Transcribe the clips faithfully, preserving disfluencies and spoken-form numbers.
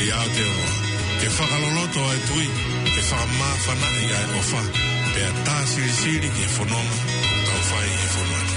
ʻI Aotearoa, ke fakaloloto ʻa e tui, ke fakamāfanaʻi ʻa e ʻofa, pea tā silisili ki he fononga ʻoku tau fai he fonua ni.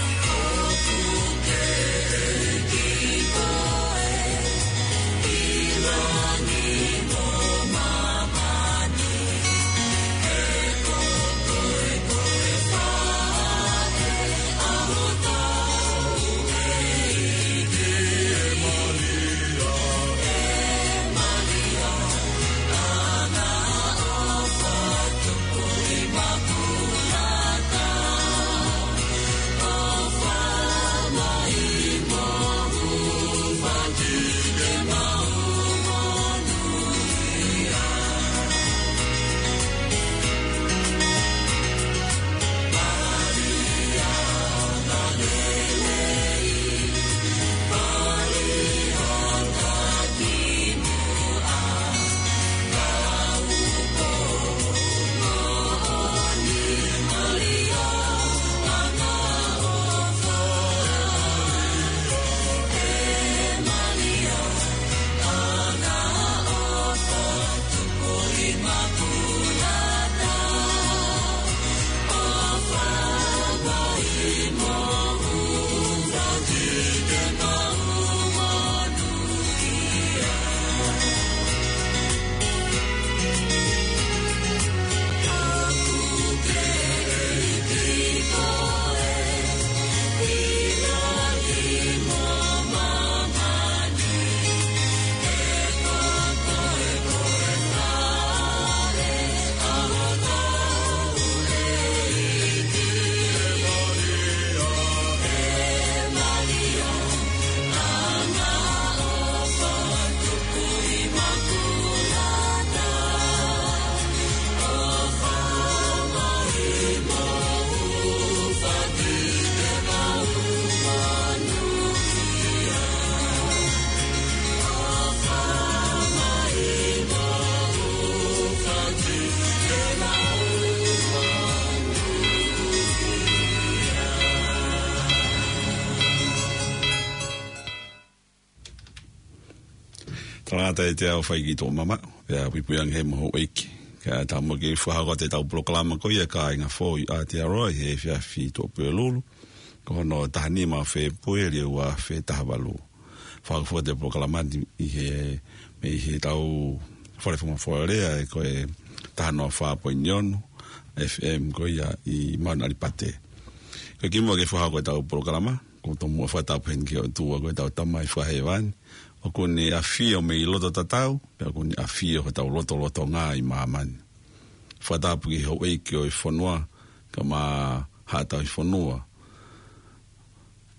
Talangata e te au fai ki tō mama, pea puipui ange he moho ʻeiki. Ka tau mo ke fakahoko atu ʻetau polokalama ko ia Kāinga Foʻou ʻi Aotearoa ʻi he efiafi Tuʻapulelulu, ko hono taha nima Fēpueli ua afe taha valu. Fakahoko atu e polokalama ni ʻi he, mei heʻetau fale fakafoʻou lea ʻe ko e taha noa fā poini ono F M ko ia ʻi Mauna ʻAlipate. Ko e kimuʻa ke fakahoko ʻetau polokalama, ʻoku ou tomuʻa fakatapu heni ki he ʻOtua ko ʻetau Tamai Fakahēvani, ʻoku ne ʻafio mei loto tatau, pea ʻoku ne ʻafio hotau lotolotonga ʻi māmani. Fakatapu ki he houʻeiki ʻo e fonua, kae ʻumaʻā haʻa tauhi fonua.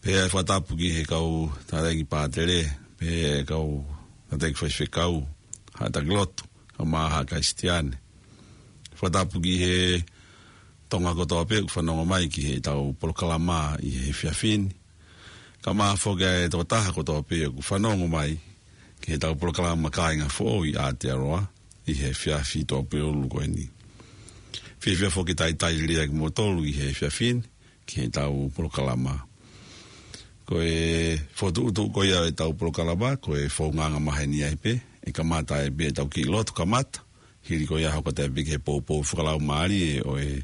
Pea fakatapu ki he kau tataki pātele, pea kau tataki faifekau, haʻa taki lotu, kae ʻumaʻā haʻa Kalisitiane. Fakatapu ki he Tonga kotoa pē ʻoku fanongo mai ki heʻetau polokalama ʻi he efiafi ni. Kae ʻumaʻā foki e tokotaha kotoa pē ʻoku fanongo mai ki heʻetau polokalama Kāinga Foʻou ʻi Aotearoa ʻi he efiafi Tuʻapulelulu ko eni. Fiefia foki ke talitali lelei kimoutolu ʻi he efiafi ni ki heʻetau polokalama. Ko e fokotuʻutuʻu ko ia ʻetau polokalama, ko e founga maheni ai pē, ʻe kamata ai pē ʻetau kiʻi lotu kamata, hili ko ia hoko atu pē ki he poupou fakalaumālie ʻo e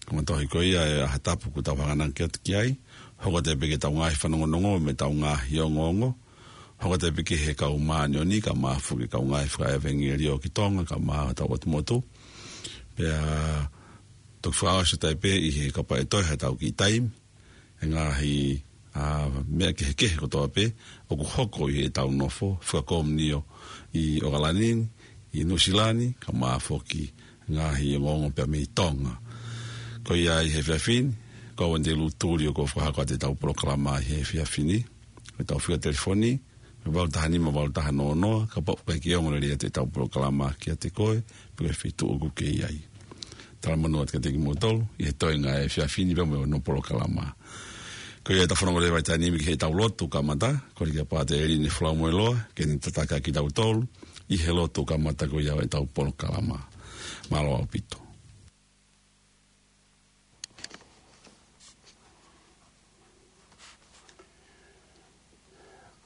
kamataʻi ko ia e ʻaho tapu ʻoku tau hanganaki atu ki ai, hoko atu pē ki heʻetau ngaahi fanongonongo mo ʻetau ngaahi ongoongo, hoko atu pē ki he kau māʻoniʻoni kae ʻumaʻā foki e kau ngaahi fakaʻevangeliō ki Tonga kae ʻumaʻā hotau ʻotu motu. Pea toki fakaʻosi atu pē ʻi he kapau ʻe toe haʻatau kiʻi taimi, e ngaahi, ā, meʻa kehekehe kotoa pē ʻoku hoko ʻi heʻetau nofo fakakomiunio ʻi ʻOkalani ni, ʻi Nuʻusila ni, kae ʻumaʻā foki e ngaahi ongoongo pea mei Tonga. Ko ia ʻi he efiafi ni, ko au Andy Lutuli ʻoku ou fakahoko atu ʻetau polokalama ʻi he efiafi ni, ʻetau fika telefoni, valu taha nima, valu taha noa noa, kapau ʻoku ʻikai ke ongo lelei atu ʻetau polokalama kiate koe, pe ko e feituʻu ʻoku ke ʻi ai. Talamonū atu kiate kimoutolu ʻi he toenga e efiafi ni pea mo hono polokalama. Ko ia ʻetau fononga leva ʻi he taimi ni ki heʻetau lotu kamata, kole kia Pātele Line Falaumailoa ke ne tataki kitautolu ʻi he lotu kamata ko ia ʻetau polokalama. Mālō ʻaupito.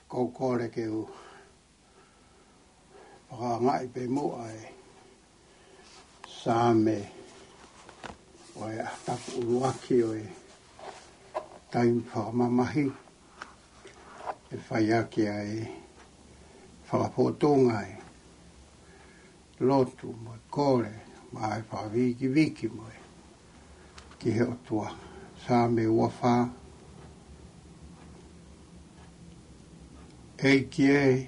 Ko u kole ke u Fakaangaʻi pē muʻa e Saame ʻo e ʻaho tapu ʻuluaki ʻo e taimi fakamamahi, ʻe fai ʻaki ʻa e fakafotunga ʻa e lotu mo e kole, mo e fakavikiviki mo e ki he ʻOtua. Saame ua fā. ʻEiki ē,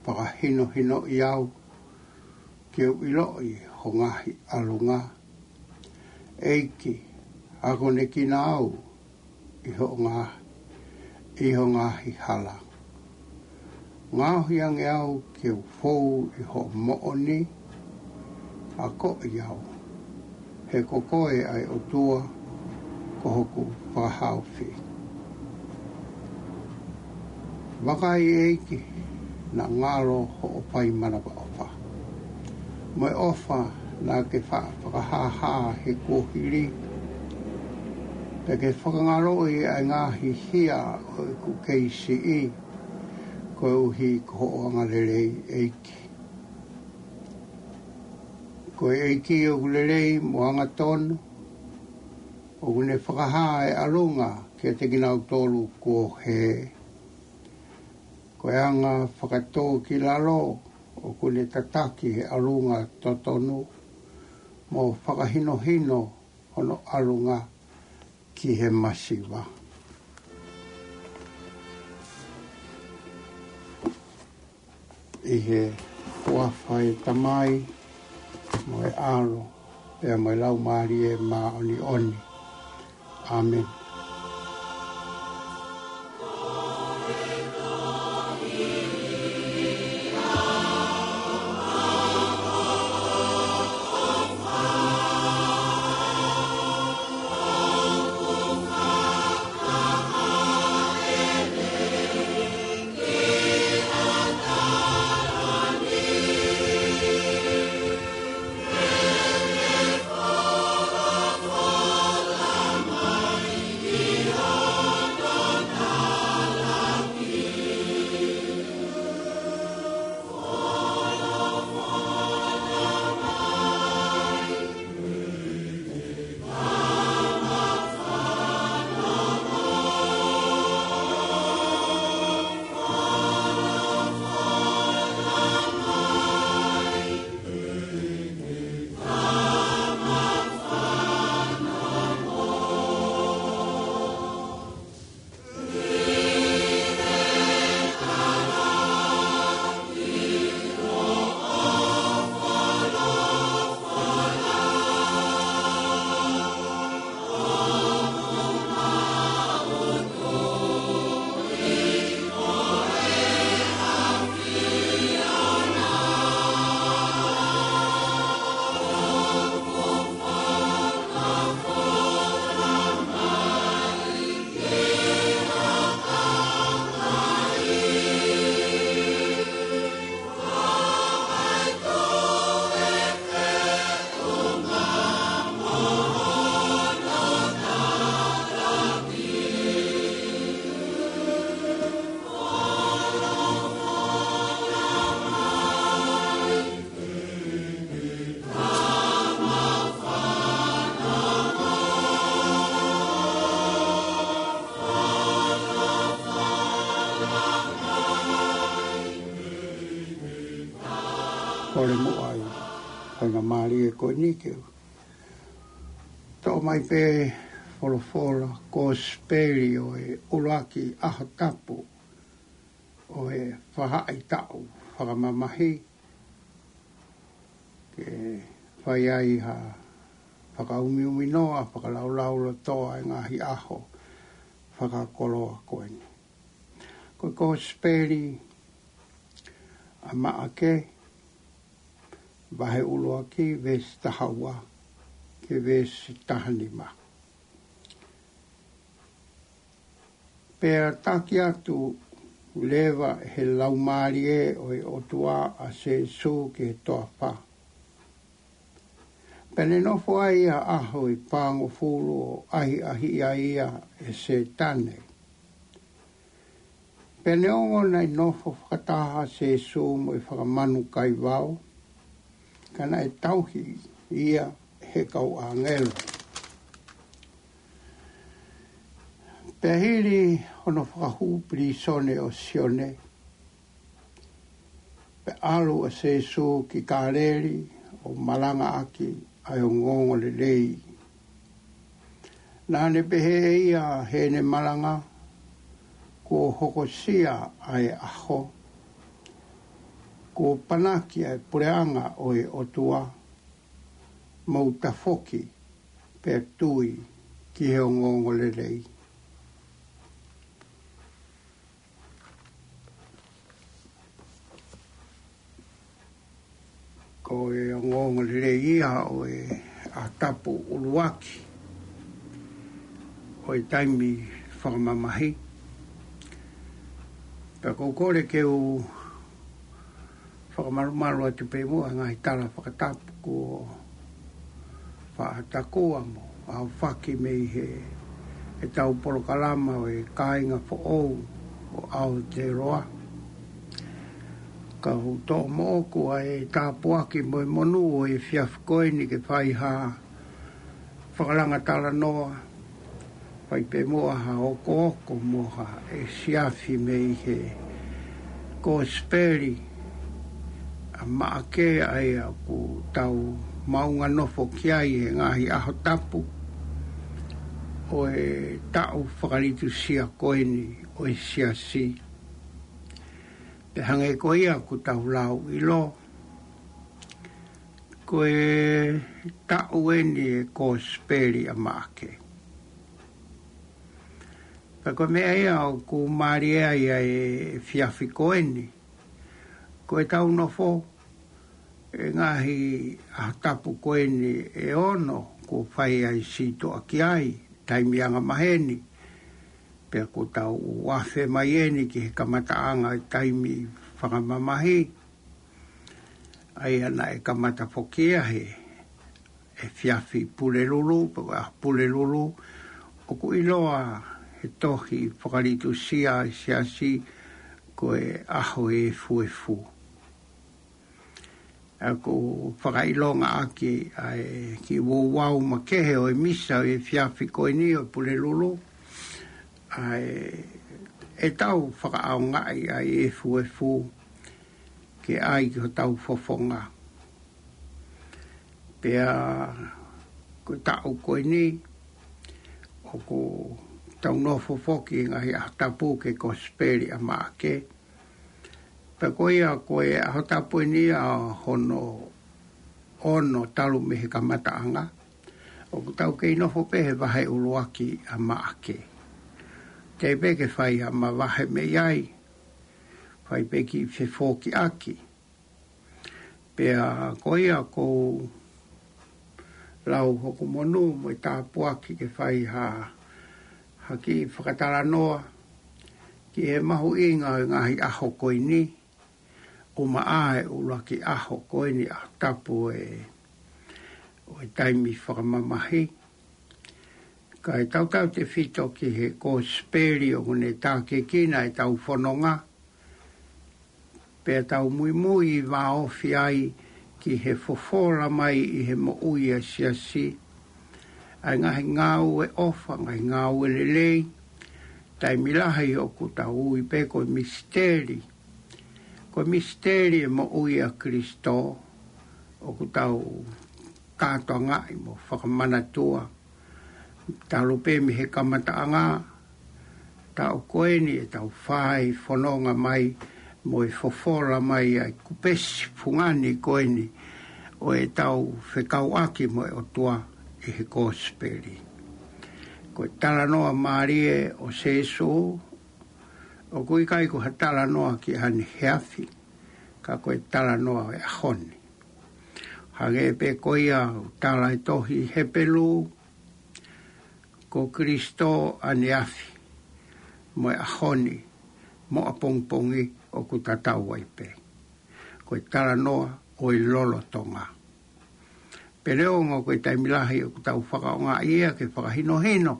fakahinohinoʻi au ke u ʻiloʻi ho ngaahi ʻalunga. ʻEiki, akonekina au ʻi hoʻo ngaahi, ʻi ho ngaahi hala. Ngaohi ange au ke u fou ʻi hoʻo moʻoni, akoʻi au, he ko koe ʻa e ʻOtua, ko hoku fakahaofi. Vakai ʻEiki, naʻa ngalo hoʻo fai manavaʻofa, mo e ʻofa naʻa ke fa-, fakahāhā he kuohili, pea ke fakangaloʻi ʻa e ngaahi hia ʻo ʻeku kei siʻi, koeʻuhi ko hoʻo angalelei ʻEiki. Ko e ʻEiki ʻoku lelei mo angatonu, ʻoku ne fakahā e ʻalunga kiate kinautolu kuo hē. Ko e anga fakatōkilalo ʻoku ne tataki e ʻalunga totonu, mo fakahinohino hono ʻalunga ki he masiva. ʻI he huafa ʻo e Tamai, mo e ʻAlo, pea mo e Laumālie Māʻoniʻoni. ʻĀmeni. Kole muʻa ʻi he faingamālie ko eni ke u toʻo mai pē folofola kosipeli ʻo e ʻuluaki ʻaho tapu ʻo e faʻahitaʻu fakamamahi, ke fai ai ha fakaumiuminoa, fakalaulaulotoa ʻi he ngaahi ʻaho fakakoloa ko eni. Ko e kosipeli ʻa Maʻake, vahe ʻuluaki, veesi taha ua ki he veesi taha nima. Pea taki atu leva ʻe he Laumālie ʻo e ʻOtua ʻa Sīsū ki he toafa. Pea ne nofo ai ha ʻaho ʻi he paongofulu ʻo ʻahiʻahiʻi ai ia ʻe Sētane. Pea neongo naʻe nofo fakataha ʻa Sēsū mo e fakamanu kaivao, ka naʻe tauhi ia ʻe he kau ʻāngelo. Pea hili hono fakahū pilīsone ʻo Sione, pea ʻalu ʻa Sēsū ki Kāleli ʻo malangaʻaki ʻa e ongoongolelei. Naʻa ne pehē ʻe ia heʻene malanga, kuo hokosia ʻa e ʻaho, kuo panaki ʻa e puleʻanga ʻo e ʻOtua, mou tafoki pea tui ki he ongoongolelei. Ko e ongoongolelei ia ʻo e ʻaho tapu ʻuluaki ʻo e taimi fakamamahi. Pea ʻoku ou kole ke u fakamalumalu atu pē muʻa e ngaahi tala fakatapu kuo faʻa takua mo aofaki mei he ʻetau polokalama ʻo e kāinga foʻou ʻo Aotearoa. Ka u toʻo moʻoku ʻa e tāpuaki mo e monū ʻo e efiafi ko eni ke fai ha fakalanga talanoa, fai pē muʻa ha okooko mo ha efiafi mei he Kosipeli ʻa Maʻake, ʻa ia ʻoku tau maʻunga nofo ki ai he ngaahi ʻaho tapu ʻo e taʻu fakalitusia ko eni ʻo e Siasi. Pea hangē ko ia ʻoku tau lau ʻilo, ko e taʻu eni e Kosipeli ʻa Maʻake. Pea ko e meʻa ia ʻoku mālie ai ʻa e efiafi ko eni, ko e tau nofo e ngaahi ʻaho tapu ko eni ʻe ono kuo fai ai sitoa ki ai, taimi angamaheni. Pea kuo tau afe mai eni ki he kamataʻanga e taimi fakamamahi, ʻa ia naʻe kamata foki ia he efiafi Pulelulu, pe ko e ʻaho Pulelulu, ʻoku ʻiloa he tohi fakalitusia ʻa e Siasi ko e ʻaho efuefu. ʻA ia ʻoku fakaʻilongaʻaki ʻa e kiʻi ouau makehe ʻo e misa ʻo e efiafi ko eni ʻo Pulelulu, ʻa e, ʻe tau fakaʻaongaʻi ʻa e efuefu ke ʻai ki hotau fofonga. Pea ko e taʻu ko eni, ʻoku tau nofo foki he ngaahi ʻaho tapu ki he Kosipeli ʻa Maʻake. Pea ko ia ko e ʻaho tapu eni ʻa hono ono talu mei he kamataʻanga, ʻoku tau kei nofo pē he vahe ʻuluaki ʻa Maʻake. Teʻeki pē ke fai ha mavahe mei ai, fai pē kiʻi fefokiʻaki. Pea ko ia ʻoku ou lau hoku monū mo e tāpuaki ke fai ha, ha kiʻi fakatalanoa ki he mahuʻinga ʻo e ngaahi ʻaho ko eni, ʻumaʻā e ʻuluaki ʻaho ko eni ʻaho tapu ʻo e, ʻo e taimi fakamamahi. Kae tautautefito ki he Kosipeli ʻoku ne tākiekina ʻetau fononga, pea tau muimui vāofi ai ki he fofola mai ʻi he moʻui ʻa e Siasi ʻa e ngaahi ngāue ʻofa, ngaahi ngāue lelei, taimi lahi ʻoku tau ui pē ko e misiteli. Ko e misiteli e moʻui ʻa Kalaisi, ʻoku tau kātoangaʻi mo fakamanatua. Talu pē mei he kamataʻanga, taʻu ko eni ʻetau fai fononga mai mo e fofola mai ʻa e kupesi fungani ko eni ʻo ʻetau fekauʻaki mo e ʻOtua ʻi he Kosipeli. Ko e talanoa mālie ʻo Sēsū, ʻoku ʻikai ko ha talanoa ki haʻane efiafi, ka ko e talanoa ʻo e ʻaho ni. Hangē pē ko ia ʻoku tala ʻe he tohi Hepelū, ko Kalaisi ʻaneafi, mo e ʻaho ni, mo ʻapongipongi ʻoku tatau ai pē. Ko e talanoa ʻo e lolotonga. Pea neongo ko e taimi lahi ʻoku tau fakaʻaongaʻi ia ke fakahinohino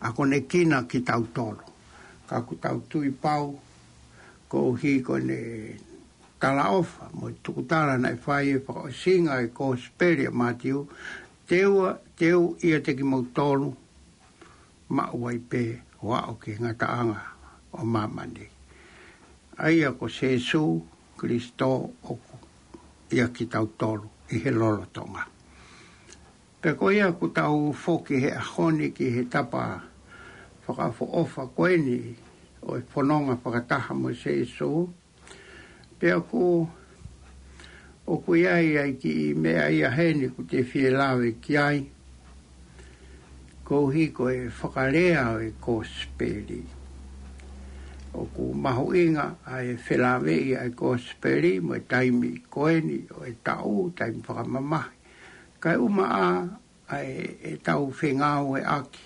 ʻa e konekina kitautolu. Ka ʻoku tau tui pau, koeʻuhi ko ʻene talaʻofa mo e tukutala naʻe fai ʻi he fakaʻosinga ʻo e Kosipeli ʻa Mātiu, teu, teu ʻiate kimoutolu, maʻu ai pē ʻo aʻu ki he ngataʻanga ʻo māmani. ʻA ia ko Sīsū Kalaisi ʻoku ʻiate kitautolu ʻi he lolotonga. Pea ko ia ʻoku tau foki he ʻaho ni ki he tapa fakaʻofoʻofa ko eni ʻo e fononga fakataha mo Sīsū. Pea ʻoku, ʻoku ʻi ai ʻa e kiʻi meʻa ia heni ʻoku te fie lave ki ai. Koeʻuhi ko e fakalea ʻo e Kosipeli. ʻOku mahuʻinga ʻa e felāveʻi ʻa e Kosipeli mo e taimi ko eni ʻo e taʻu, taimi fakamamahi. Kae ʻumaʻā ʻa e, ʻetau fengāueʻaki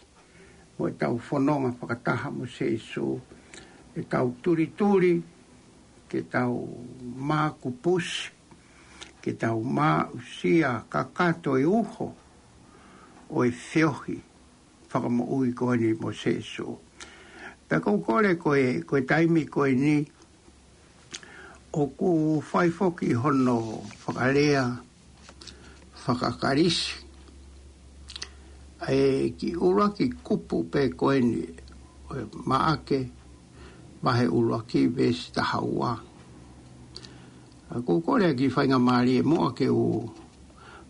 mo ʻetau fononga fakataha mo Sīsū, ʻetau tulituli, ke tau mākupusi, ke tau maʻusia kakato e uho ʻo e feohi fakamoʻui ko eni mo Sīsū. Pea ʻoku ou kole ko e, ko e taimi ko eni, ʻoku fai foki hono fakalea fakaKalisi ʻa e kiʻi ʻuluaki kupu pē ko eni ʻo e Maʻake, vahe ʻuluaki veesi taha ua. ʻOku ou kole ʻa e kiʻi faingamālie muʻa ke u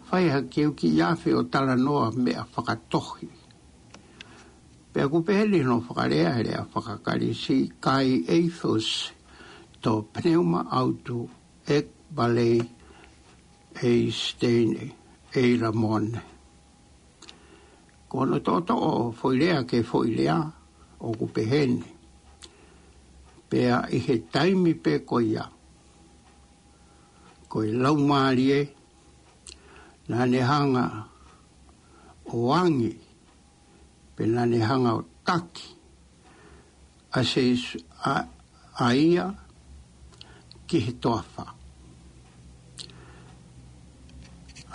fai ha kiʻi kiʻi afe ʻo talanoa meʻa fakatohi. Pea ʻoku pehē ni hono fakalea he lea fakaKalisi, kai ethos to pneuma autu ek balei ei stein ei ramon. Ko hono toʻotoʻo foʻi lea ki he foʻi lea ʻoku pehē ni. Pea ʻi he taimi pē ko ia, ko e Laumālie naʻa ne hanga ʻo angi, pea naʻa ne hanga ʻo taki ʻa Sīsū, ʻa, ʻa ia ki he toafa.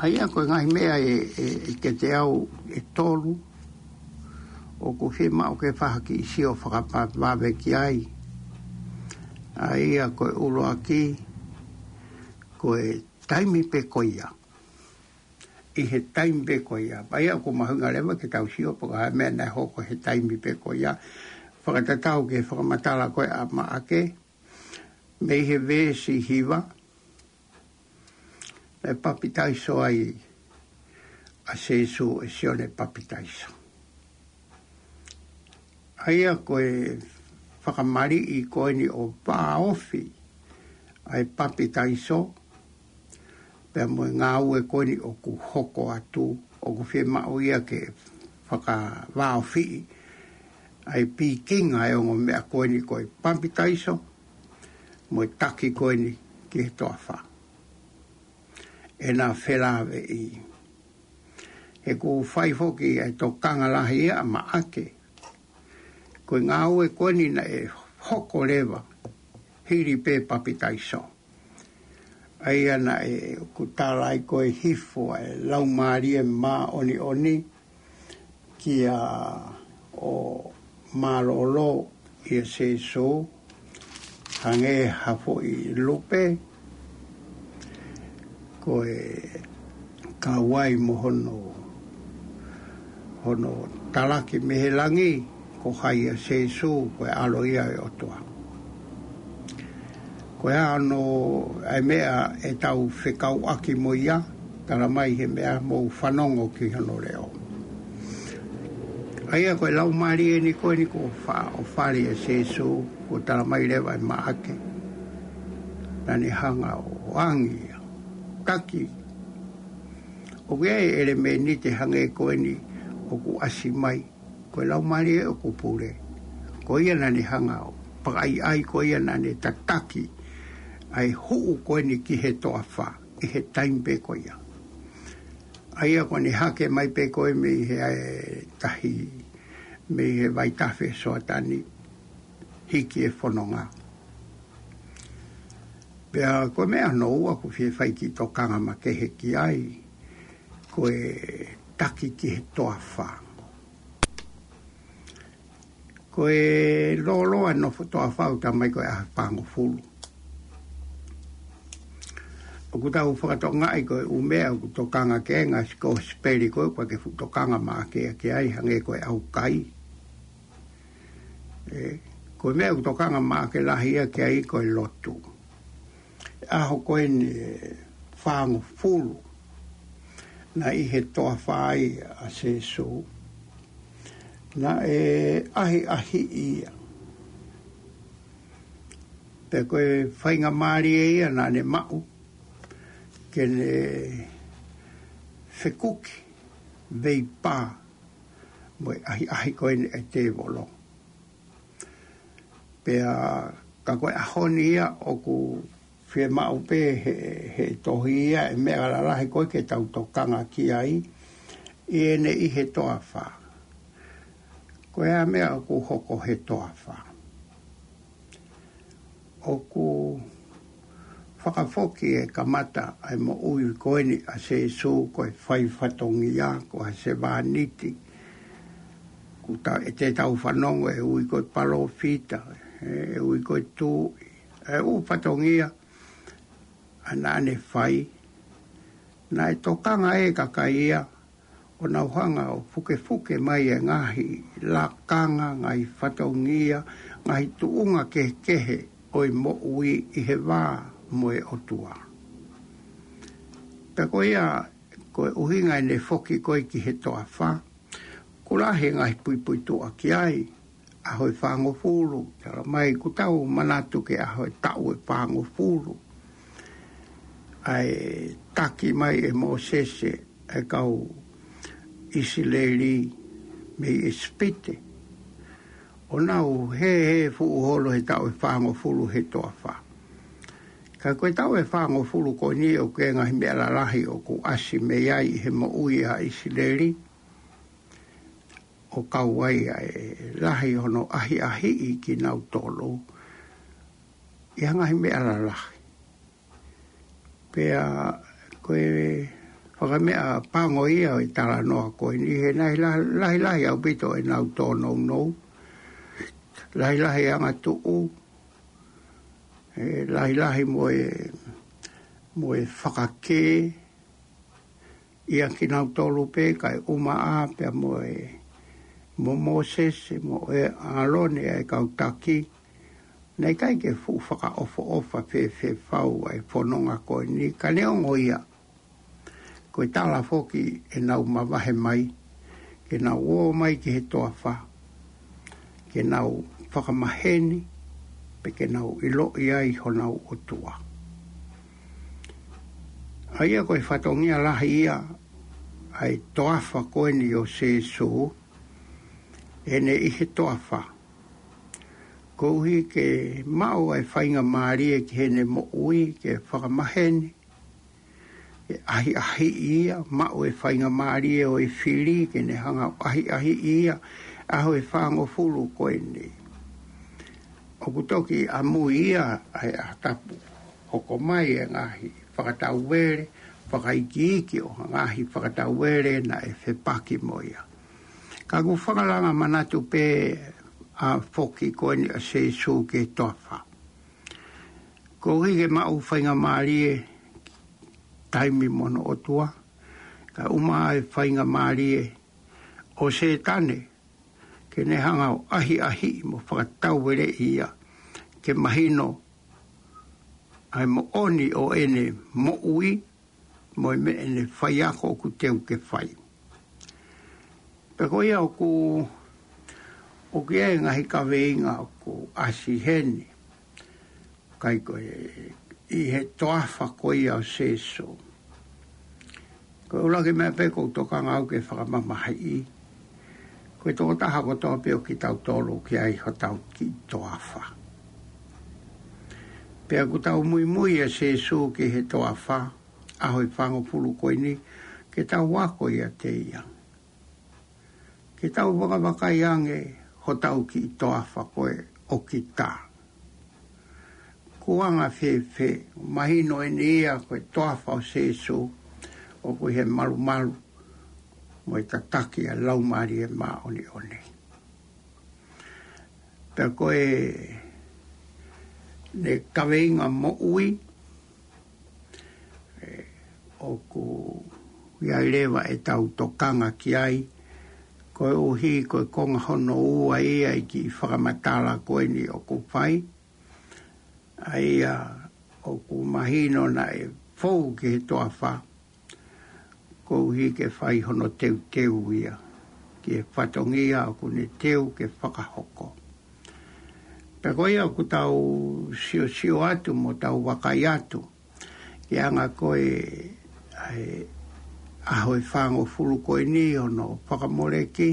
ʻA ia ko e ngaahi meʻa ʻe, ʻe, ʻe kiate au ʻe tolu, ʻoku fiemaʻu ke fai ha kiʻi sio fakavavevave ki ai. ʻA ia ko e ʻuluaki, ko e taimi pē ko ia. ʻI he taimi pē ko ia. Pea ʻoku mahuʻinga leva ke tau sio pe ko e hā e meʻa naʻe hoko he taimi pē ko ia. Fakatatau ki he fakamatala ko ē ʻa Maʻake, mei he veesi hiva, naʻe papitaiso ai ʻa Sīsū ʻe Sione Papitaiso. ʻA ia ko e fakamaliʻi ko eni ʻo vāofi ʻa e papitaiso, pea mo e ngāue ko eni ʻoku hoko atu, ʻoku fiemaʻu ia ke fakavāofiʻi ʻa e pikinga ʻa e ongo meʻa ko eni ko e papitaiso, mo e taki ko eni ki he toafa. ʻEna felāveʻi. He ʻoku fai foki ʻa e tokanga lahi ia ʻa Maʻake. Ko e ngāue ko eni naʻe hoko leva hili pē papitaiso. ʻA ia naʻe ʻoku tala ai ko e hifo ʻa e Laumālie Māʻoniʻoni kia ʻo mālōlō ʻia Sīsū, hangē ha foʻi lupe, ko e kau ai mo hono, hono talaki mei he langi, ko hai ʻa Sīsū, ko e ʻAlo ia ʻo e ʻOtua. Ko e hā hono, ʻa e meʻa ʻe tau fekauʻaki mo ia, tala mai he meʻa mou fanongo ki hono leʻo. ʻA ia ko e Laumālie ni ko eni kuo fa-, ʻo fale ʻe Sīsū, kuo tala mai leva ʻe Maʻake. Naʻa ne hanga ʻo angi ia. Taki. ʻOku ʻi ai e ʻelemēniti hangē ko eni ʻoku ʻasi mai. Ko e Laumālie ʻoku pule. Ko ia naʻa ne hanga ʻo pakaʻaiʻai, ko ia naʻa ne tataki ʻa e huʻu ko eni ki he toafa ʻi he taimi pē ko ia. ʻA ia ko ʻene hake mai pē ko ē mei he ʻa e tahi, mei he vaitafe Soatani, hiki e fononga. Pea ko e meʻa hono ua ʻoku fie fai kiʻi tokanga makehe ki ai, ko e taki ki he toafa. Ko e lōloa nofo toafa ʻoku talamai ko e ʻaho ʻe fāngofulu. ʻOku tau fakatokangaʻi ko e ʻū meʻa ʻoku tokanga ki ai e ngaahi kosipeli ko ē ʻoku ʻikai ke fuʻu tokanga maʻake ia ki ai, hangē ko e ʻaukai. ʻE, ko e meʻa ʻoku tokanga maʻake lahi ia ki ai ko e lotu. ʻAho ko eni ʻe fāngofulu naʻe ʻi he toafa ai ʻa Sēsū, naʻe ʻahiʻahiʻi ia. Pea ko e faingamālie ia naʻa ne maʻu ke ne fekuki veipā mo e ʻahiʻahi ko eni ʻa e tēvolo. Pea ka ko e ʻaho ni ia ʻoku fiemaʻu pē he, he tohi ia e meʻa lalahi ko ē ke tau tokanga ki ai ʻi heʻene ʻi he toafa. Ko e hā e meʻa ʻoku hoko he toafa? ʻOku fakafoki e kamata ʻa e moʻui ko eni ʻa Sēsū ko e fai fatongia, ko ha sevāniti. ʻOku ta-, ʻe te tau fanongo ʻe ui ko e palōfita, ʻe ui ko e tuʻi, ʻe ʻū fatongia naʻa ne fai. Naʻe tokanga e kakai ia ʻo nau hanga ʻo fukefuke mai e ngaahi lakanga, ngaahi fatongia, ngaahi tuʻunga kehekehe ʻo e moʻui ʻi he vā mo e ʻOtua. Pea ko ia, ko e ʻuhinga ʻene foki ko ē ki he toafa, ʻoku lahi e ngaahi puipuituʻa ki ai. ʻAho ʻe fāngofulu, talamai ʻoku tau manatu ki he ʻaho ʻe taʻu ʻe fāngofulu. ʻA e taki mai ʻe Mōsese e kau ʻIsileli mei ʻIsipite, ʻo nau hēhē fuʻu holo he taʻu ʻe fāngofulu he toafa. Ka ko e taʻu ʻe fāngofulu ko eni ʻoku ʻi ai e ngaahi meʻa lalahi ʻoku ʻasi mei ai ʻi he moʻui ʻa ʻIsileli, ʻo kau ai ʻa e lahi hono ʻahiʻahiʻi kinautolu ʻi he ngaahi meʻa lalahi. Pea ko e fakameʻapango ia ʻo e talanoa ko eni, he naʻe lahi, lahilahi ʻaupito ʻenau tōnounou, lahilahi e angatuʻu, ʻe lahilahi mo e, mo e fakakē ʻia kinautolu pē kae ʻumaʻā pea mo e, mo Mōsese mo e ʻAlone ʻa e kau taki. Naʻe ʻikai ke fuʻu fakaʻofoʻofa fēfē fau ʻa e fononga ko eni, ka neongo ia, ko e tala foki ʻenau mavahe mai, ke nau ō mai ki he toafa, ke nau fakamaheni, pe ke nau ʻiloʻi ai honau ʻOtua. ʻA ia ko e fatongia lahi ia ʻa e toafa ko eni ʻo Sēsū, ʻene ʻi he toafa. Koeʻuhi ke maʻu ʻa e faingamālie ki heʻene moʻui ke fakamaheni, ke ʻahiʻahiʻi ia, maʻu e faingamālie ʻo e fili ke ne hanga ʻo ʻahiʻahiʻi ia, ʻaho ʻe fāngofulu ko eni. ʻOku toki ʻamui ia ʻa e ʻaho tapu, hoko mai e ngaahi fakatauvele, fakaikiiki ʻo e ngaahi fakatauvele naʻe fepaki mo ia. Ka ʻoku fakalanga manatu pē ʻa e foki ko eni ʻa Sēsū ki he toafa. Koeʻuhi ke maʻu faingamālie taimi mo hono ʻOtua, kae ʻumaʻā e faingamālie ʻo Sētane, ke ne hanga ʻo ʻahiʻahiʻi mo fakatauveleʻi ia, ke mahino ʻa e moʻoni ʻo ʻene moʻui, mo e meʻa ʻene faiako ʻoku teu ke fai. Pea ko ia ʻoku, ʻoku ʻi ai e ngaahi kaveinga ʻoku ʻasi heni. ʻIkai ko e ʻi he toafa ko ia ʻo Sēsū. Ko e ʻuluaki meʻa pē ʻoku ou tokanga au ke fakamamahiʻi, ko e tokotaha kotoa pē ʻo kitautolu ʻoku ʻi ai hotau kiʻi toafa. Pea ʻoku tau muimui ʻa Sēsū ki he toafa, ʻaho ʻe fāngofulu ko eni, ke tau ako ʻiate ia. Ke tau vakavakai ange hotau kiʻi toafa ko ē ʻo kita. Ko e anga fēfē, mahino eni ia ko e toafa ʻo Sēsū, ʻoku ʻi he malumalu, mo e tataki ʻa e Laumālie Māʻoniʻoni. Pea ko e ne kaveinga moʻui, ʻoku ʻi ai leva ʻetau tokanga ki ai, koeʻuhi ko e konga hono ua ia ʻi he kiʻi fakamatala ko eni ʻoku fai, ʻa ia ʻoku mahino naʻe fou ki he toafa, koeʻuhi ke fai hono teuteu ia ki he fatongia ʻoku ne teu ke fakahoko. Pea ko ia ʻoku tau siosio atu mo tau vakai atu ki he anga ko e, ʻa e ʻaho ʻe fāngofulu ko eni hono fakamoleki,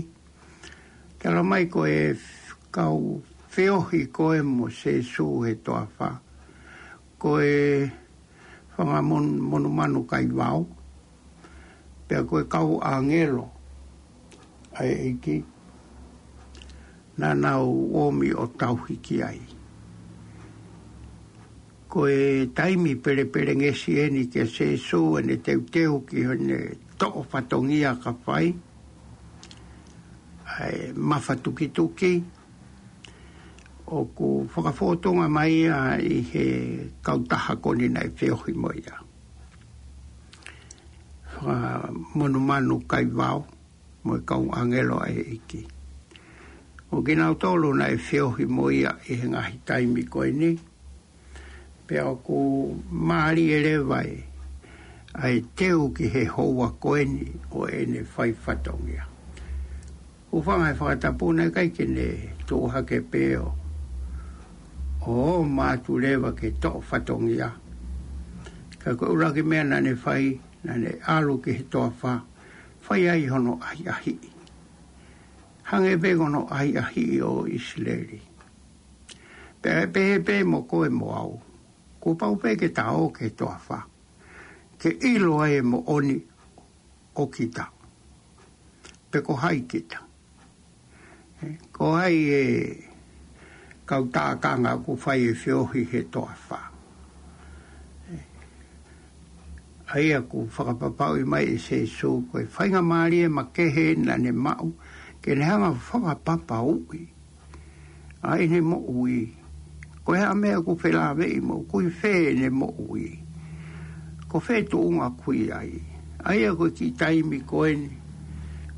ke ʻalu mai ko e kau feohi ko ē mo Sēsū he toafa, ko e fanga mon-, monumanu kaivao, pea ko e kau ʻāngelo ʻa e ʻEiki, naʻa nau ʻomi ʻo tauhi ki ai. Ko e taimi pelepelengesi eni kia Sēsū ʻene teuteu ki heʻene toʻo fatongia ka fai ʻa e mafatukituki, ʻoku fakafōtunga mai ia ʻi he kautaha ko eni naʻe feohi mo ia. Fanga monumanu kaivao mo e kau ʻāngelo ʻa e ʻEiki. ʻO kinautolu naʻe feohi mo ia ʻi he ngaahi taimi ko eni, pea ʻoku mālie leva ʻa e teu ki he houa ko eni ʻo ʻene fai fatongia. Hūfanga he fakatapu naʻe ʻikai ke ne tuʻu hake pē ʻo, ʻo ō mai atu leva ke toʻo fatongia. Ka ko e ʻuluaki meʻa naʻa ne fai, naʻa ne ʻalu ki he toafa, fai ai hono ʻahiʻahiʻi. Hangē pē ko hono ʻahiʻahiʻi ʻo ʻIsileli. Pea pehē pē mo koe mo au. Kuo pau pē ke ta ō ki he toafa ke ʻilo ai e moʻoni ʻo kita. Pe ko hai kita. Ko hai e kau tākanga ʻoku fai e feohi he toafa. ʻA ia ʻoku fakapapauʻi mai ʻe Sēsū ko e faingamālie makehe naʻa ne maʻu ke ne hanga fakapapauʻi ʻa ʻene moʻui. Ko e hā e meʻa ʻoku felāveʻi mo ʻoku ʻi fē ʻene moʻui. Ko fē tuʻunga ʻoku ʻi ai. ʻA ia ko e kiʻi taimi ko eni,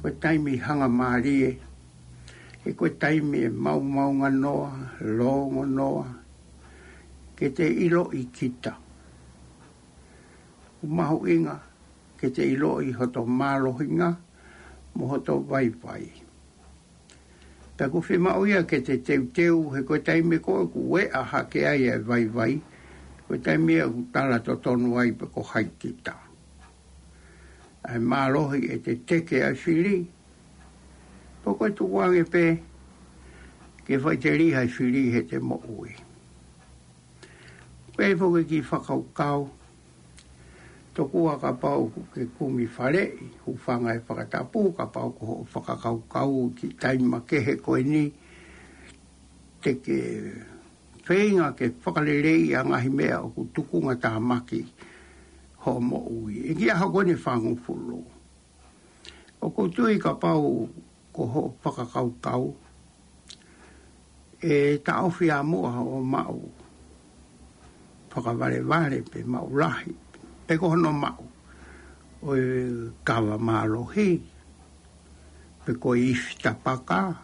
ko e taimi hangamālie, he ko e taimi ʻe maomaonganoa, longonoa, ke te ʻiloʻi kita. ʻOku mahuʻinga ke te ʻiloʻi hoto mālohinga mo hoto vaivai. Pea ʻoku fiemaʻu ia ke te teuteu he ko e taimi ko ē ʻoku ʻeʻa hake ai e vaivai, ko e taimi ia ʻoku tala totonu ai pe ko hai kita. ʻA e mālohi ʻe te teke ai fili, pe ko e tukuange pē ke faʻiteliha e fili he te moʻui. Pea ʻi he foki kiʻi fakakaukau, tokua kapau ʻoku ke kumi faleʻi, hūfanga he fakatapu kapau ko hoʻo fakakaukau ki he taimi makehe ko eni, te ke feinga ke fakaleleiʻi ʻa e ngaahi meʻa ʻoku tukunga tāmaki hoʻo moʻui. ʻI he kiʻi ʻaho ko eni ʻe fāngofulu. ʻOku ou tui kapau ko hoʻo fakakaukau, ʻe taʻofi ʻa muʻa hoʻo maʻu fakavalevale pe maʻu lahi, pe ko hono maʻu ʻo e kava mālohi, pe ko e ifi tapaka,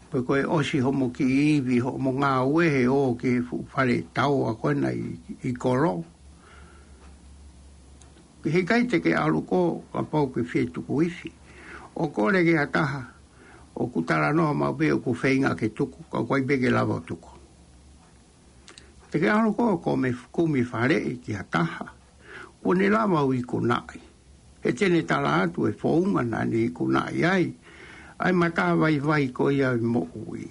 pe ko e ʻosi hoʻomo kiʻi ivi, hoʻomo ngāue he ō ki he fuʻu fale taua ko ena ʻi, ʻi kolo. He ʻikai te ke ʻalu koe kapau ʻoku ke fie tuku ifi. ʻO kole ki ha taha, ʻoku talanoa maʻu pē ʻoku feinga ke tuku, ka ʻoku ʻikai pē ke lava ʻo tuku. Te ke ʻalu koe ʻo kumi, kumi faleʻi ki ha taha kuo ne lava ʻo ikunaʻi. He te ne tala atu e founga naʻa ne ikunaʻi ai ʻa e matavaivai ko ia ʻo e moʻui.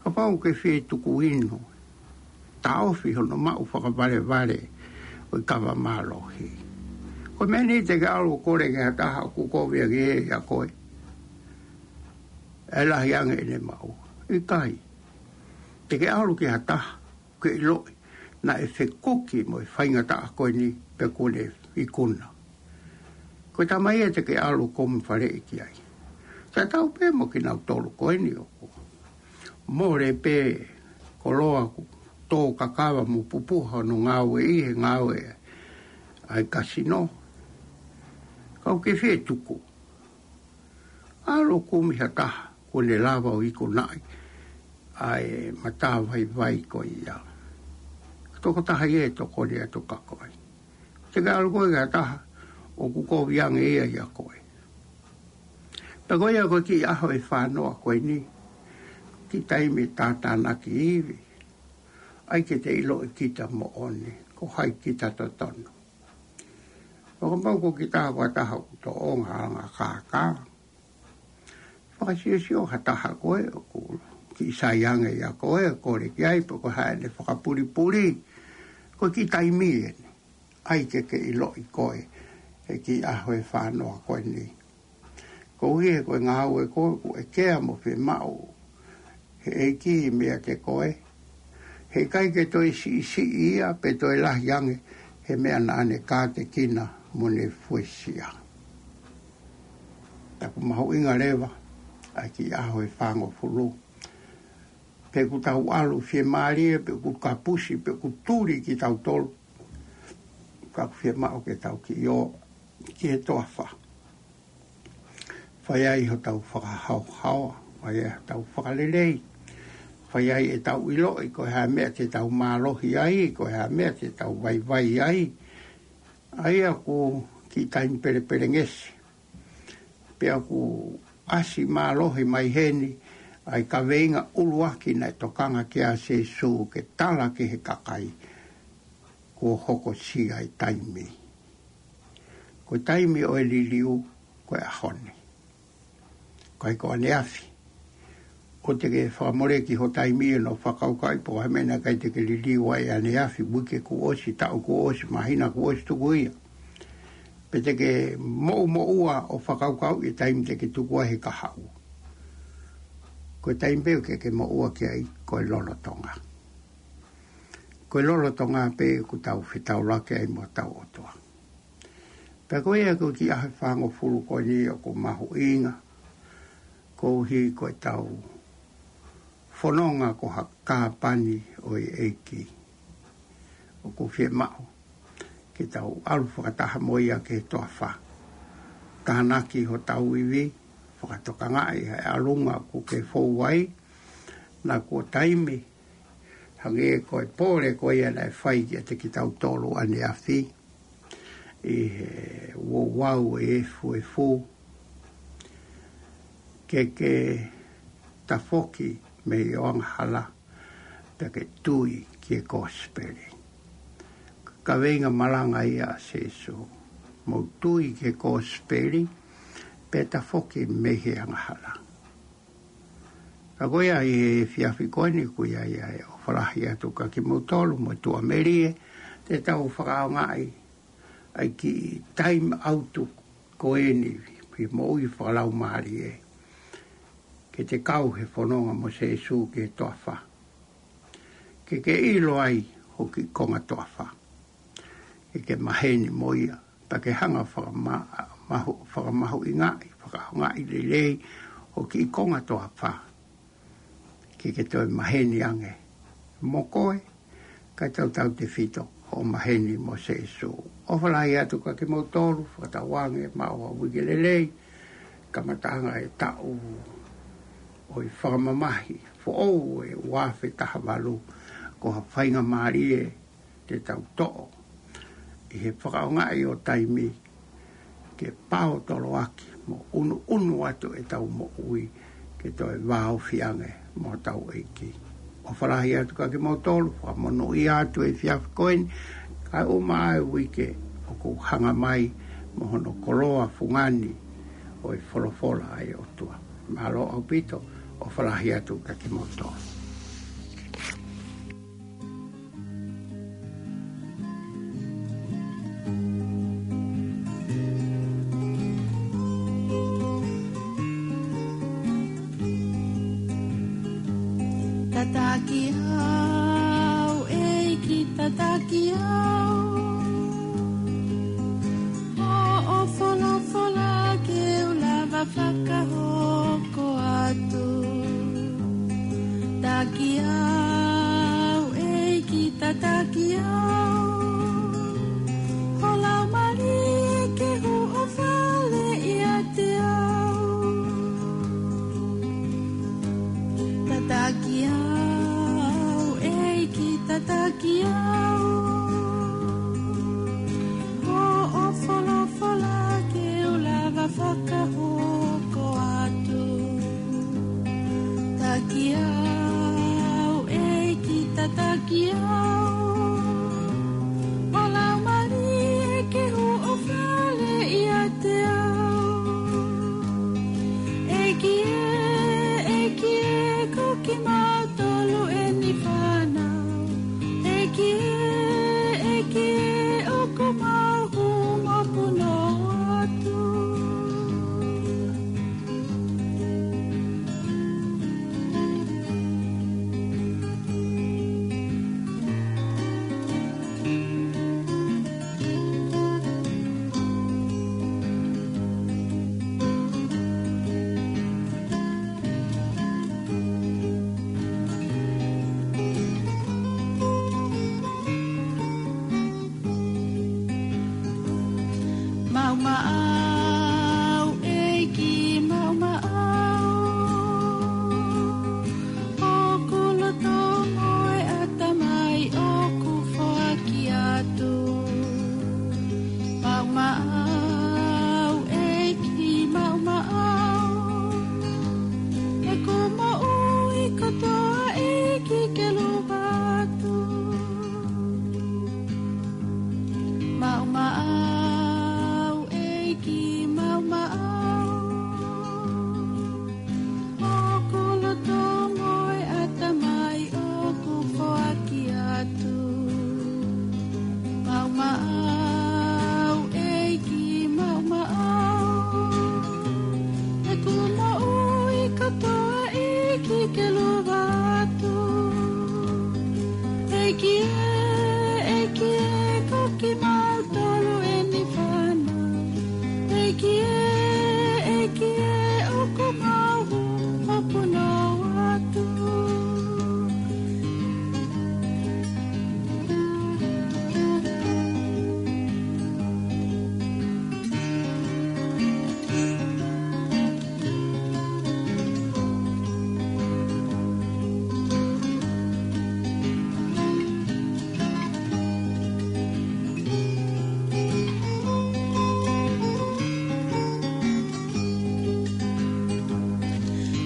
Kapau ʻoku ke fie tuku inu, taʻofi hono maʻu fakavalevale ʻo e kava mālohi. Ko e meʻa ni te ke ʻalu ʻo kole ki ha taha ʻoku kovi ange ia ʻia koe, ʻe lahi ange ʻene maʻu. ʻIkai. Te ke ʻalu ki ha taha ʻoku ke ʻiloʻi naʻe fekuki mo e faingataʻa ko eni pea kuo ne ikuna. Ko e taimi ia te ke ʻalu ʻo kumi faleʻi ki ai. Tatau pē mo kinautolu ko eni ʻoku Mole pē koloa kuo tō kakava mo pupuha hono ngāue ʻi he ngāue ʻa e kasino. Kau ke fie tuku. ʻAlu ʻo kumi ha taha kuo ne lava ʻo ikunaʻi ʻa e matavaivai ko ia. Tokotaha ia ʻe tokoni atu kia koe. Te ke ʻalu koe ki ha taha ʻoku kovi ange ia ʻia koe. Pea ko ia ko e kiʻi ʻaho ʻe fāngofulu ko eni, kiʻi taimi tātānaki ivi. ʻAi ke te ʻiloʻi kita moʻoni, ko hai kita totonu. Fakapapau ko kita ko ha taha ʻoku tōʻonga anga kākā. Fakasiosio ha taha koe ʻoku kiʻi sai ange ʻia koe, kole ki ai, pe ko hai ʻene fakapulipuli. Ko e kiʻi taimi eni. ʻAi ke ke ʻiloʻi koe, he kiʻi ʻaho ʻe fāngofulu ko eni. Koeʻuhi he ko e ngāue ko ē ʻoku ʻekea mo fiemaʻu he ʻEiki meiate koe. Heʻikai ke toe siʻisiʻi ia pe toe lahi ange he meʻa naʻa ne kātekina mo ne fuesia. Taku mahuʻinga leva, ʻa e kiʻi ʻaho ʻe fāngofulu. Pe ʻoku tau ʻalu fiemālie, pe ʻoku kapusi, pe ʻoku tuli kitautolu. Ka ʻoku fiemaʻu ke tau kiʻi ō ki he toafa. Fai ai hotau fakahaohaoa, fai ai hotau fakalelei, fai ai ʻetau ʻiloʻi, ko e hā e meʻa te tau mālohi ai, ko e hā e meʻa te tau vaivai ai. ʻA ia ko e kiʻi taimi pelepelengesi. Pea ʻoku ʻasi mālohi mai heni, ʻa e kaveinga ʻuluaki naʻe tokanga ki ai ʻa Sīsū ke tala ki he kakai, kuo hokosia e taimi. Ko e taimi ʻo e liliu, ko e ʻaho ni. ʻIkai ko ʻaneafi. ʻOua te ke fakamoleki ho taimi ʻi hono fakakaukauʻi pe ko e hā e meʻa naʻe ʻikai te ke liliu ai ʻaneafi, uike kuo ʻosi, taʻu kuo ʻosi, māhina kuo ʻosi tuku ia. Pe te ke moʻumoʻua ʻo fakakaukauʻi e taimi te ke tuku ai he kahaʻu. Ko e taimi pē ʻoku ke moʻua ki ai, ko e lolotonga. Ko e lolotonga pē ʻoku tau fetaulaki ai mo hotau ʻOtua. Pea ko ia ko e kiʻi ʻaho ʻe fāngofulu ko eni ʻoku mahuʻinga, koeʻuhi ko ʻetau fononga ko ha kāpani ʻo e ʻEiki. ʻOku fiemaʻu ke tau ʻalu fakataha mo ia ki he toafa. Tānaki hotau ivi, fakatokangaʻi ʻa e ʻalunga ʻoku ke fou ai, naʻa kuo taimi, hangē ko e pole ko ia naʻe fai kiate kitautolu ʻaneafi, ʻi he ouau ʻo e efuefu, ke ke tafoki mei ho angahala, pea ke tui ki he kosipeli. Kaveinga malanga ia ʻa Sīsū. Mou tui ki he kosipeli, pea tafoki mei he angahala. Ka ko ia ʻi he efiafi ko eni ʻoku ʻi ai ʻa e ʻofa lahi atu kia kimoutolu mo e tuʻamelie, te tau fakaʻaongaʻi ʻa e kiʻi time out ko eni, ki he moʻui fakalaumālie. Ke te kau he fononga mo Sīsū ki he toafa. Ke ke ʻilo ai ho kiʻi konga toafa. Ke ke maheni mo ia, pea ke hanga fakama-, mahu-, fakamahuʻingaʻi, fakaʻaongaʻi lelei ho kiʻi konga toafa. Ke ke toe maheni ange mo koe, kae tautautefito hoʻo maheni mo Sīsū. ʻOfa lahi atu kia kimoutolu, fakatauange maʻu ha uike lelei, kamataʻanga e taʻu ʻo e fakamamahi foʻou ʻo e ua afe taha valu, ko ha faingamālie te tau toʻo ʻi he fakaʻaongaʻi ʻo taimi ke pao toloaki mo ʻunuʻunu atu ʻetau moʻui ke toe vāofi ange mo hotau ʻEiki. ʻOfa lahi atu kia kimoutolu, fakamonūʻia atu he efiafi ko eni, kae ʻuma ʻa e uike ʻoku hanga mai mo hono koloa fungani ʻo e folofola ʻa e ʻOtua. Mālō ʻaupito, ʻofa lahi atu kia kimoutolu. Tataki au, ʻEiki, tataki au. Hoʻo folofola ke u lava fakahoko atu. Tataki au, ʻEiki, tataki au. Ho Laumālie ke huʻo fale ʻiate au. Tataki au, ʻEiki, tataki au. Hoʻo folofola ke u lava fakahoko atu. Tataki au, ʻEiki, tataki au. Ho Laumālie ke huʻo fale ʻiate au. ʻEiki ē, ʻEiki ē, ko kimautolu eni fānau. ʻEiki ē, ʻEiki ē, ʻoku mau hū mo punou atu. Maʻu maʻau, ʻEiki, maʻu maʻau. Hoku loto mo e ʻatamai ʻoku foaki atu. Maʻu maʻau, ʻEiki, maʻu maʻau. ʻEku moʻui kotoa, ʻEiki, ke lava atu. Maʻu maʻau, ʻEiki, maʻu maʻau. Hoku loto mo e ʻatamai ʻoku foaki atu. Maʻu maʻau, ʻEiki, maʻu maʻau. ʻEku moʻui kotoa, ʻEiki, ke lava atu. ʻEiki ē, ʻEiki ē, ko kimautolu eni fānau. ʻEiki ē, ʻEiki ē, ʻoku mau hū mo punou atu.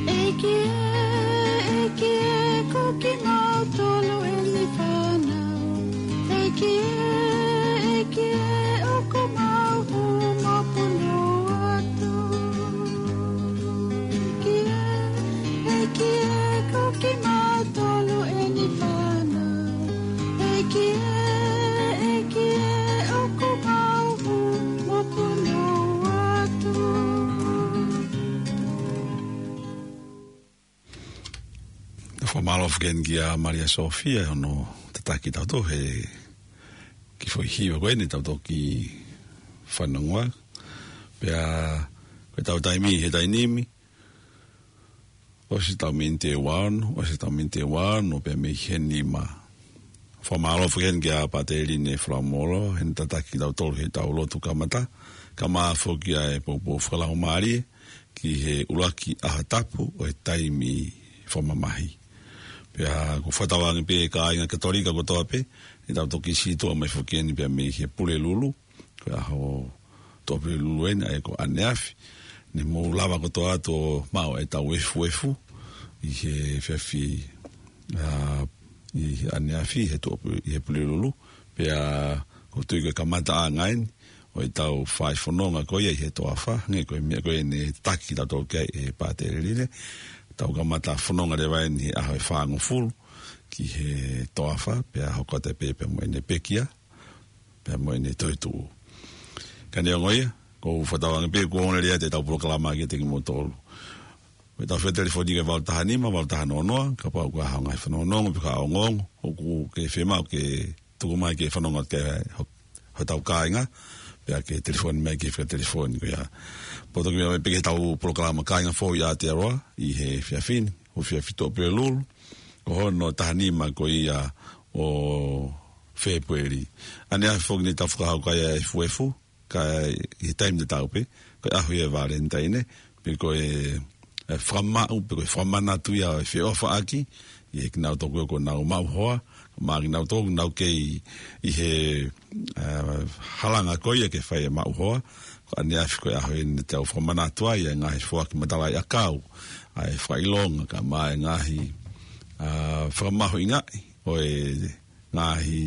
ʻEiki ē, ʻEiki ē, ko kimautolu eni fānau. ʻEiki ē, ʻEiki ē, ʻoku mau hū mo punou atu. ʻEiki ē, ʻEiki ē, ko kimautolu eni fānau. ʻEiki ē, ʻEiki ē, ʻoku mau hū mo punou atu. Tau fakamālō foki eni kia Malia Sofia, hono tataki tautolu he kiʻi foʻi hiva ko eni tau toki fanongoa. Pea ko ʻetau taimi he taimi ni, ʻosi ʻetau miniti ʻe ua ono, ʻosi ʻetau miniti ʻe ua ono pea mei he nima. Fakamālō foki eni kia Pāteli Ne Falamola, heʻene tataki tautolu heʻetau lotu kamata, kae ʻumaʻā foki ʻa e poupou fakalaumālie ki he ʻuluaki ʻaho tapu ʻo e taimi fakamamahi. Pea ʻoku ou fakatauange pē kāinga Katolika kotoa pē, ʻetau toki sītuʻa mai foki eni pea mei he Pulelulu, ko e ʻaho Tuʻapulelulu eni, ʻa ia ko ʻaneafi. Ne mou lava kotoa atu ʻo maʻu ʻetau efuefu ʻi he efiafi, ʻa, ʻi he ʻaneafi, he Tuʻapu-, ʻi he Pulelulu. Pea ʻoku ou tui ko e kamataʻanga eni ʻo ʻetau fai fononga ko ia ʻi he toafa, hangē ko e meʻa ko ē ne taki tautolu ki ai ʻe Pāteli Ne. Tau kamata fononga leva eni he ʻaho ʻe fāngofulu ki he toafa, pea hoko atu pē pea mo ʻene pekia, pea mo ʻene toetuʻu. Ka neongo ia, ʻoku ou fakatauange pē kuo ongo lelei ʻetau polokalama kiate kimoutolu. Ko ʻetau fetelefonia ko e valu taha nima, valu taha noa noa, kapau ʻoku ʻi ai ha ngaahi fanongonongo pe ko ha ongoongo ʻoku ke fiemaʻu ke tuku mai ke fanongo ki ai ho-, hotau kāinga, pea ke telefoni mai ki he fika telefoni ko ia. Poto ki mai pē ki heʻetau polokalama Kāinga Fou ʻi Aotearoa ʻi he efiafi ni, ʻo e efiafi Tuʻapulelulu, Ko hono taha nima ko ia ʻo Fēpueli. ʻAneafi foki ne tau fakahoko ai ʻa e efuefu, ka ʻi he taimi tatau pē, ko e ʻaho ia ʻo e Valentine, pe ko e, e fakamaʻu, pe ko e fakamanatu ia ʻo e feʻofaʻaki, ʻi he kinautolu ko ē ʻoku nau maʻu hoa, mo kinautolu ʻoku nau kei ʻi he, e, halanga ko ia ke fai e maʻu hoa, ko ʻaneafi ko e ʻaho ia ne tau fakamanatu ai ʻa e ngaahi foaki matalaʻiʻakau, ʻa e fakaʻilonga, kae ʻumaʻā e ngaahi, a, fakamahuʻingaʻi ʻo e ngaahi,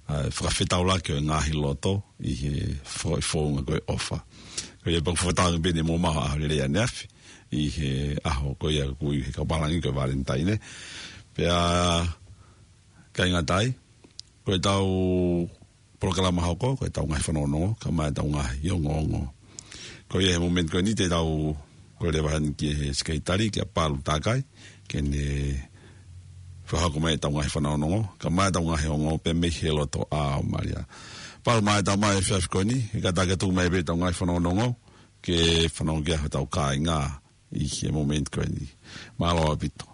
a, fakafetaulaki ʻo e ngaahi loto ʻi he fo-, founga ko e ʻofa. Ko ia pē ʻoku fakatauange pē ne mou maʻu ha ʻaho lelei ʻaneafi ʻi he ʻaho ko ia ʻoku ui ʻe he kau pālangi ko e Valentine. Pea ʻikai ngata ai, ko ʻetau polokalama hoko, ko ʻetau ngaahi fanongonongo, kae ʻumaʻā ʻetau ngaahi ongoongo. Ko ia he momeniti ko eni te tau kole leva heni ki he sekelitali, kia Palu Takai, ke ne fakahoko mai ʻetau ngaahi fanongonongo, kae ʻumaʻā ʻetau ngaahi ongoongo pē mei he loto ʻa Malia. Palu, mai ʻetau mai efiafi ko eni, he kātaki atu mai pē ʻetau ngaahi fanongonongo, ke fanongo ki ai hotau kāinga ʻi he momeniti ko eni. Mālō ʻaupito.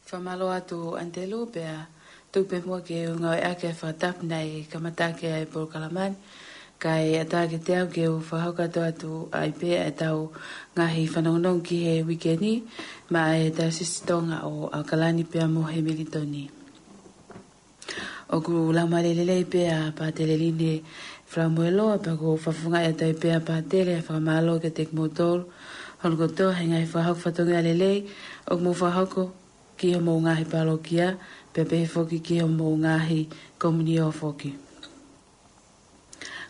Fakamālō atu ʻAnitelū, pea tuku pē muʻa ke u ngāueʻaki e fakatapu naʻe kamata ʻaki ai e polokalama ni, kae ʻatā kiate au ke u fakahoko atu ai pē ʻetau ngaahi fanongonongo ki he uike ni, maʻa e Taiosisi Tonga ʻo ʻAokalani pea mo Hemilitoni. ʻOku laumālie lelei pē ʻa Pātele Line Falamueloa, pea ʻoku ou fakafofongaʻi atu ai pē ʻa Pātele e fakamālō kiate kimoutolu hono kotoa he ngaahi fakahoko fatongia lelei ʻoku mou fakahoko ki homou ngaahi pālokia, pea pehē foki ki homou ngaahi komiunio foki.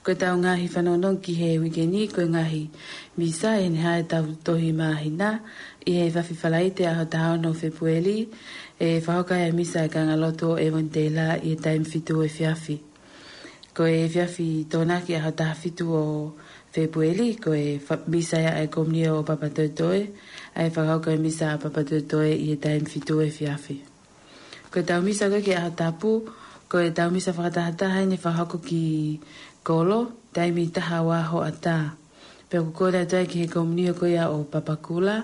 Ko ʻetau ngaahi fanongonongo ki he uike ni, ko e ngaahi misa ʻi heʻene hā ʻetau tohi māhina, ʻi he efiafi Falaite ʻaho taha ono Fēpueli, ʻe fakahoko ai e misa ʻa e kāingalotu ʻo ʻEvani Teila ʻi he taimi fitu efiafi. Ko e efiafi Tokonaki ʻaho taha fitu ʻo Fēpueli, ko e fa-, misa ia ʻa e komiunio ʻo Papatoetoe, ʻa e fakahoko e misa ʻa Papatoetoe ʻi he taimi fitu efiafi. Ko ʻetau misa ko ē ki he ʻaho tapu, ko ʻetau misa fakatahataha ʻeni ʻe fakahoko ki kolo, taimi taha ua hoʻatā. Pea ʻoku kole atu ai ki he komiunio ko ia ʻo Papakura,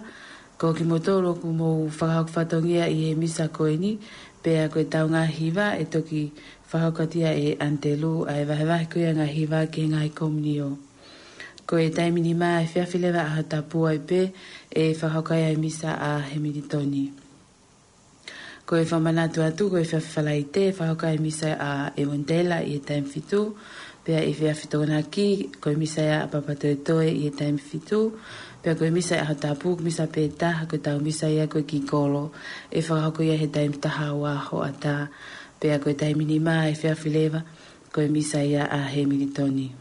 ko kimoutolu ʻoku mou fakahoko fatongia ʻi he misa ko eni, pea ko ʻetau ngaahi hiva ʻe toki fakahoko atu ia ʻe ʻAnitelū, ʻa e vahevahe ko ia e ngaahi hiva ki he ngaahi komiunio. Ko e taimi nima efiafi leva ʻaho tapu ai pē ʻe fakahoko ai e misa ʻa Hemilitoni. Ko e fakamanatu atu, ko e efiafi Falaite ʻe fakahoko ai e misa ʻa ʻEvani Teila ʻi he taimi fitu, pea efiafi Tokonaki, ko e misa ia ʻa Papatoetoe ʻi he taimi fitu, pea ko e misa ʻaho tapu, misa pē taha, ko ʻetau misa ia ko ē ki kolo, ʻe fakahoko ia he taimi taha ua hoʻatā, pea ko e taimi nima efiafi leva, ko e misa ia ʻa Hemilitoni.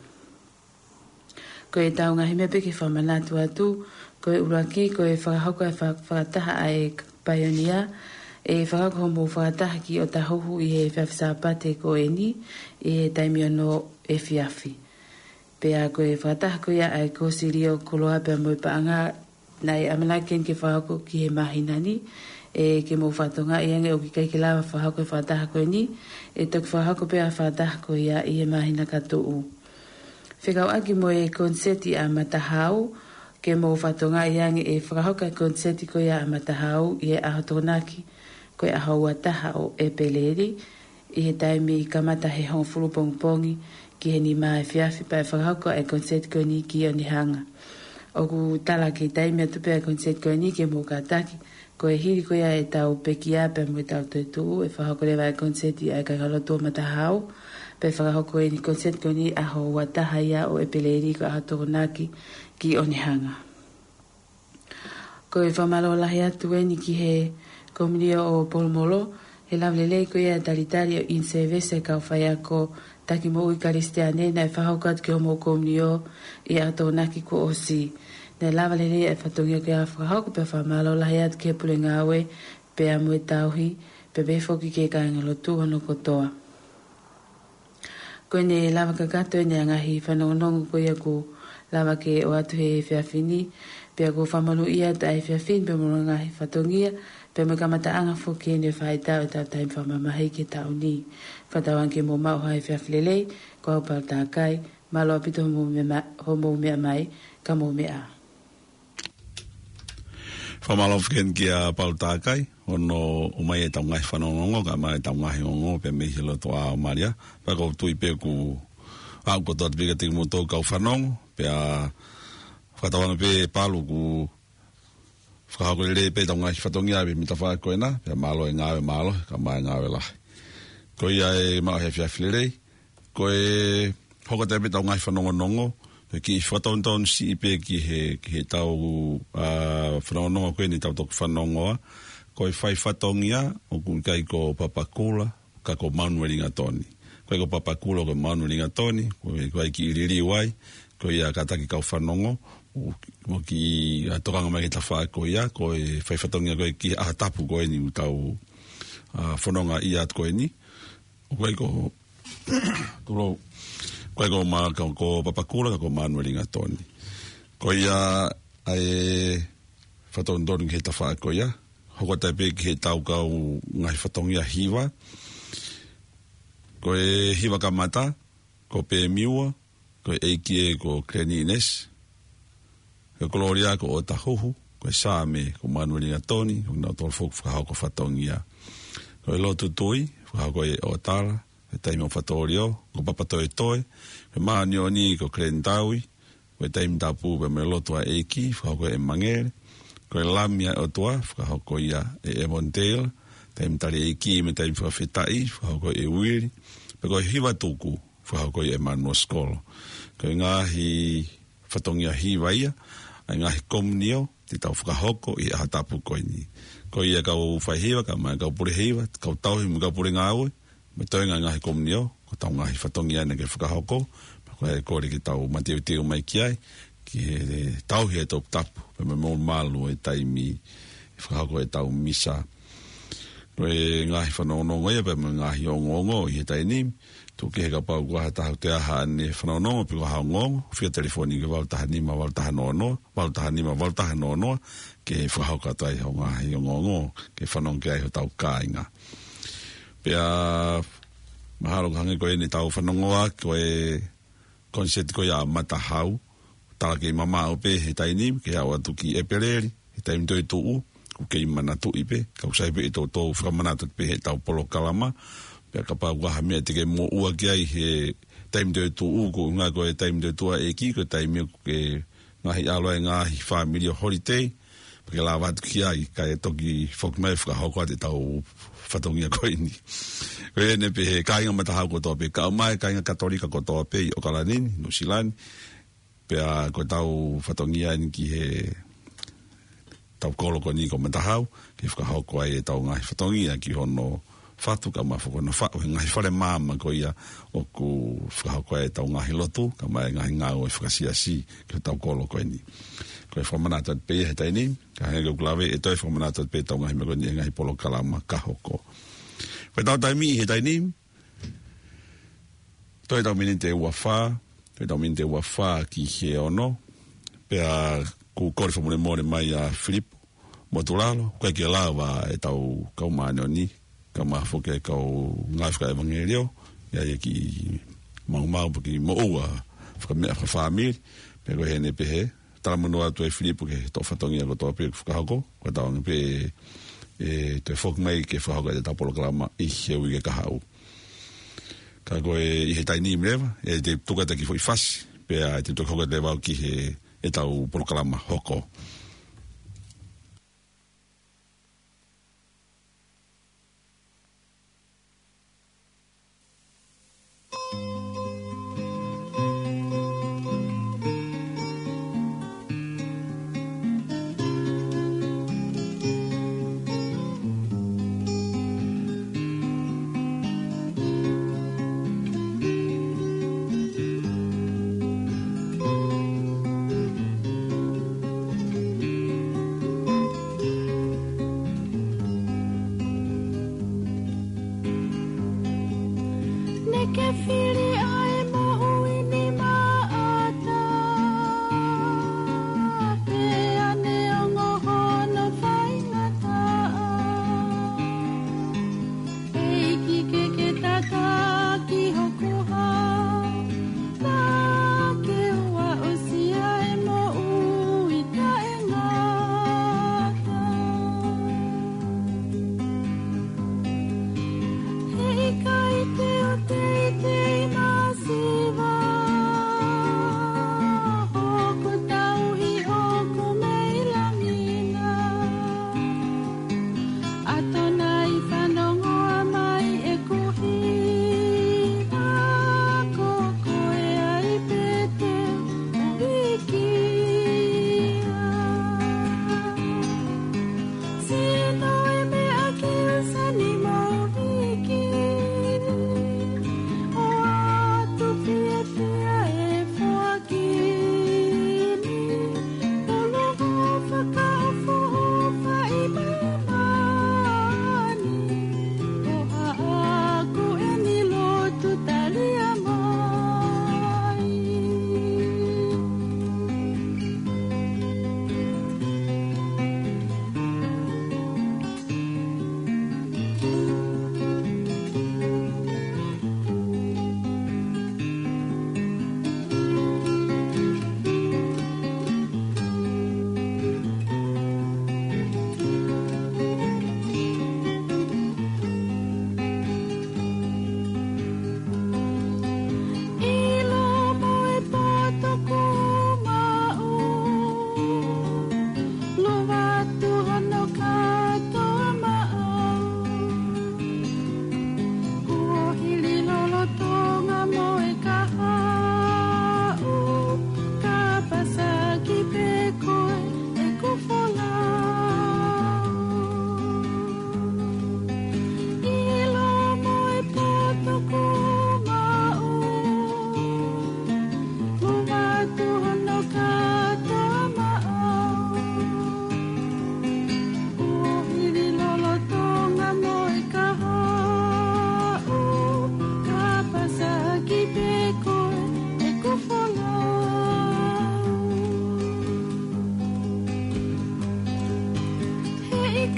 Ko ʻetau ngaahi meʻa pē ke fakamanatu atu, ko e ʻuluaki, ko e fakahoko e fa-, fakataha ʻa e paionia, ʻe fakahoko hoʻomou fakataha ki ʻOtahuhu ʻi he efiafi Sāpate ko eni, ʻi he taimi ono efiafi. Pea ko e fakataha ko ia ʻa e kōsilio koloa pea mo e paʻanga, naʻe ʻamanaki ke fakahoko ki he māhina ni, ʻe ke mou fakatokangaʻi ange ʻoku ʻikai ke lava fakahoko e fakataha ko eni, ʻe toki fakahoko pē ʻa e fakataha ko ia ʻi he māhina ka tuʻu. Fekauʻaki mo e koniseti ʻa Matahau, ke mou fakatokangaʻi ange ʻe fakahoko e koniseti ko ia ʻa Matahau ʻi he ʻaho Tokonaki, ko e ʻaho ua taha ʻo ʻEpeleli, ʻi he taimi kamata he hongofulu pongipongi ki he nima efiafi, pea ʻe fakahoko e koniseti ko eni ki Onehunga. ʻOku tala ke taimi atu pē ʻa e koniseti ko eni ke mou kātaki, ko e hili ko ia ʻetau pekia pea mo ʻetau toetuʻu, ʻe fakahoko leva e koniseti ʻa e kāingalotu ʻo Matahau, pea ʻe fakahoko eni koniseti ko eni ʻaho ua taha ia ʻo ʻEpeleli, ko e ʻaho Tokonaki ki Onehunga. Ko e fakamālō lahi atu eni ki he komiunio ʻo Polomolo, he lava lelei ko ia e talitali ʻo in-service e kau faiako taki moʻui Kalisitiane naʻe fakahoko atu ki homou komiunio ʻi he ʻaho Tokonaki kuo ʻosi. Naʻe lava lelei e fatongia ko ia fakahoko, pea fakamālō lahi atu ki he pule ngāue, pea mo e tauhi, pea pehē foki ki he kāingalotu hono kotoa. Ko ʻene lava kakato eni ʻa e ngaahi fanongonongo ko ia kuo lava ke ʻoatu he efiafi ni, pea ʻoku fakamonūʻia atu ʻa e efiafi ni pea mo hono ngaahi fatongia, pea mo e kamataʻanga foki eni e faʻahitaʻu ʻetau taimi fakamamahi ki he taʻu ni. Fakatauange ke mou maʻu ha efiafi lelei, ko au Palu Takai, Mālō ʻaupito hoʻomou meʻa ma-, hoʻomou meʻa mai, ka mou meʻa. Fakamālō foki heni kia Palu Takai, hono ʻomai ʻetau ngaahi fanongonongo, kae ʻumaʻā ʻetau ngaahi ongoongo, pea mei he lotoʻā ʻo Malia. Pea ʻoku ou tui pē kuo aʻu kotoa atu pē kiate kimoutolu kau fanongo, pea fakatauange pē Palu kuo fakahoko lelei pē ʻetau ngaahi fatongia ʻi he tafaʻaki ko ena, pea mālō e ngāue, mālō, kae ʻumaʻā e ngāue lahi. Ko ia e maʻu he efiafi lelei, ko e hoko atu pē ʻetau ngaahi fanongonongo, ko e kiʻi fakatonutonu siʻi pē ki he, ki heʻetau, ā, fanongonongo ko eni ʻoku tau toki fanongoa, ko e fai fatongia, ʻoku ʻikai ko Papakura, ka ko Manueli Gatoni. Ko e ko Papakura ko Manueli Gatoni, ko e, ko e kiʻi liliu ai, ko ia kātaki kau fanongo, ʻo, ʻo kiʻi, ā, tokanga mai ki he tafaʻaki ko ia, ko e fai fatongia ko e ki he ʻaho tapu ko eni ʻoku tau, ā, fononga ʻi ai atu ko eni. ʻOku ʻikai ko, tulou, ʻoku ʻikai ko ma-, ka ko Papakura, ka ko Manueli Gatoni. Ko ia ʻa e fakatonutonu ki he tafaʻaki ko ia, hoko atu pē ki heʻetau kau ngaahi fatongia hiva. Ko e hiva kamata, ko Pemiua, ko e ʻEiki ē ko Keleni ʻInesi, ko e Kololia ko ʻOtahuhu, ko e Saame ko Manueli Gatoni, ʻoku nau tolu foki fakahoko fatongia. Ko e Lotu Tui, fakahoko ʻe ʻOtala, ko e Taimi ʻo Fatōlio, ko Papatoetoe, ko e Māʻoniʻoni ko Keleni Taui, ko e Taimi Tapu pea mo e Lotu ʻa e ʻEiki, fakahoko ʻe Mangele. Ko e Lami ʻa e ʻOtua, fakahoko ia ʻe Evonitale. Taimi Tali ʻEiki mo e Taimi Fakafetaʻi, fakahoko ʻe Uili. Pea ko e Hiva Tuku, fakahoko ʻe Manuel Sikolo. Ko e ngaahi fatongia hiva ia ʻa e ngaahi komiunio te tau fakahoko ʻi he ʻaho tapu ko eni. Ko ia kau faihiva, kae ʻumaʻā e kau pule hiva, kau tauhi mo e kau pule ngāue, mo e toenga e ngaahi komiunio, ko ʻetau ngaahi fatongia eni ke fakahoko, pea ko e kole ke tau mateuteu mai ki ai, ki he tauhi e toputapu, pea mo e malu e taimi ʻe fakahoko ʻetau misa. Ko e ngaahi fanongonongo ia, pea mo e ngaahi ongoongo ʻi he taimi ni, tuku kehe kapau ko ha taha ʻoku toe ʻi ai haʻane fanongonongo, pe ko ha ongoongo, fika telefoni ki he valu taha nima, valu taha noa noa, valu taha nima, valu taha noa noa, ke fakahoko atu ai hoʻo ngaahi ongoongo, ke fanongo ki ai hotau kāinga. Pea mahalo ʻoku hangē ko eni ʻetau fanongoa, ko e koniseti ko ia ʻa Matahau, tala kei mamaʻo pē he taimi ni, ke aʻu atu ki ʻEpeleli, he taimi toetuʻu, ʻoku kei manatuʻi pē, ka ʻoku sai pē ʻetau, tau fakamanatu pē heʻetau polokalama, pea kapau ʻoku ʻi ai ha meʻa te ke moʻua ki ai he taimi toetuʻu, ko e ʻuhinga ko e taimi toetuʻu ʻa e ʻEiki, ko e taimi ʻoku ke ngaahi ʻalu ai e ngaahi fāmili ʻo holiday, pea ke lava atu ki ai, kae toki foki mai fakahoko atu ʻetau fatongia ko eni. Ko ia eni pē he kāinga Matahau kotoa pē, kae ʻumaʻā e kāinga Katolika kotoa pē ʻi ʻOkalani ni, Nuʻusila ni, pea ko ʻetau fatongia eni ki heʻetau kolo ko eni ko Matahau, ke fakahoko ai ʻetau ngaahi fatongia ki hono fatu kae ʻumaʻā foki hono faʻu he ngaahi fale maama ko ia ʻoku fakahoko ai ʻetau ngaahi lotu, kae ʻumaʻā e ngaahi ngāue fakasiasi ki hotau kolo ko eni. Ko e fakamanatu atu pē ia he taimi ni, kae hangē ko ʻeku lave ʻe toe fakamanatu atu pē ʻetau ngaahi meʻa ko eni he ngaahi polokalama ka hoko. Ko ʻetau taimi he taimi ni, toe ʻetau miniti ʻe ua fā, toe ʻetau miniti ʻe ua fā ki he ono, pea ʻoku kole fakamolemole mai ʻa Filipo Motulalo, ʻoku ʻikai ke lava ʻetau kau māʻoniʻoni, kae ʻumaʻā foki e kau ngāue fakaʻevangeliō, ʻi ai e kiʻi maumau pe kiʻi moʻua fakameʻa fakafāmili, pea ko e heni pē he talamonū atu ʻe Filipo ki he toʻo fatongia kotoa pē ʻoku fakahoko, ko ʻetau anga pē ʻe toe foki mai ke fakahoko ʻetau polokalama ʻi he uike kahaʻu. Ka ko e ʻi he taimi ni leva, ʻe te tuku atu e kiʻi foʻi fasi, pea ʻe te toki hoko atu leva ki he ʻetau polokalama hoko.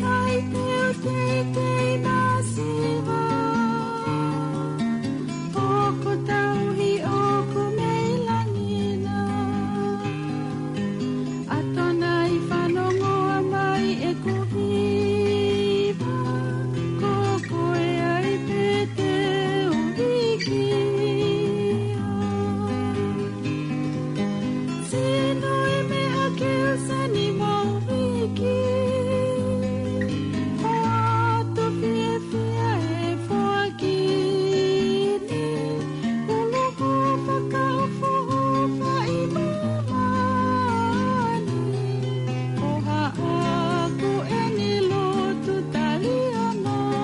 Kai pē ʻoku teitei masiva, ʻoku tauhi ʻoku mei langi na. ʻAtonai fanongo mai ʻeku hiva, ko koe ai pē te u viki. Sino i meʻa ke u sani mau viki. Hoa tu fiefia e foaki ni. Ulu ko fakaʻofoʻofa i mamani. Ko haʻaku ʻeni lotu tali ʻa mai.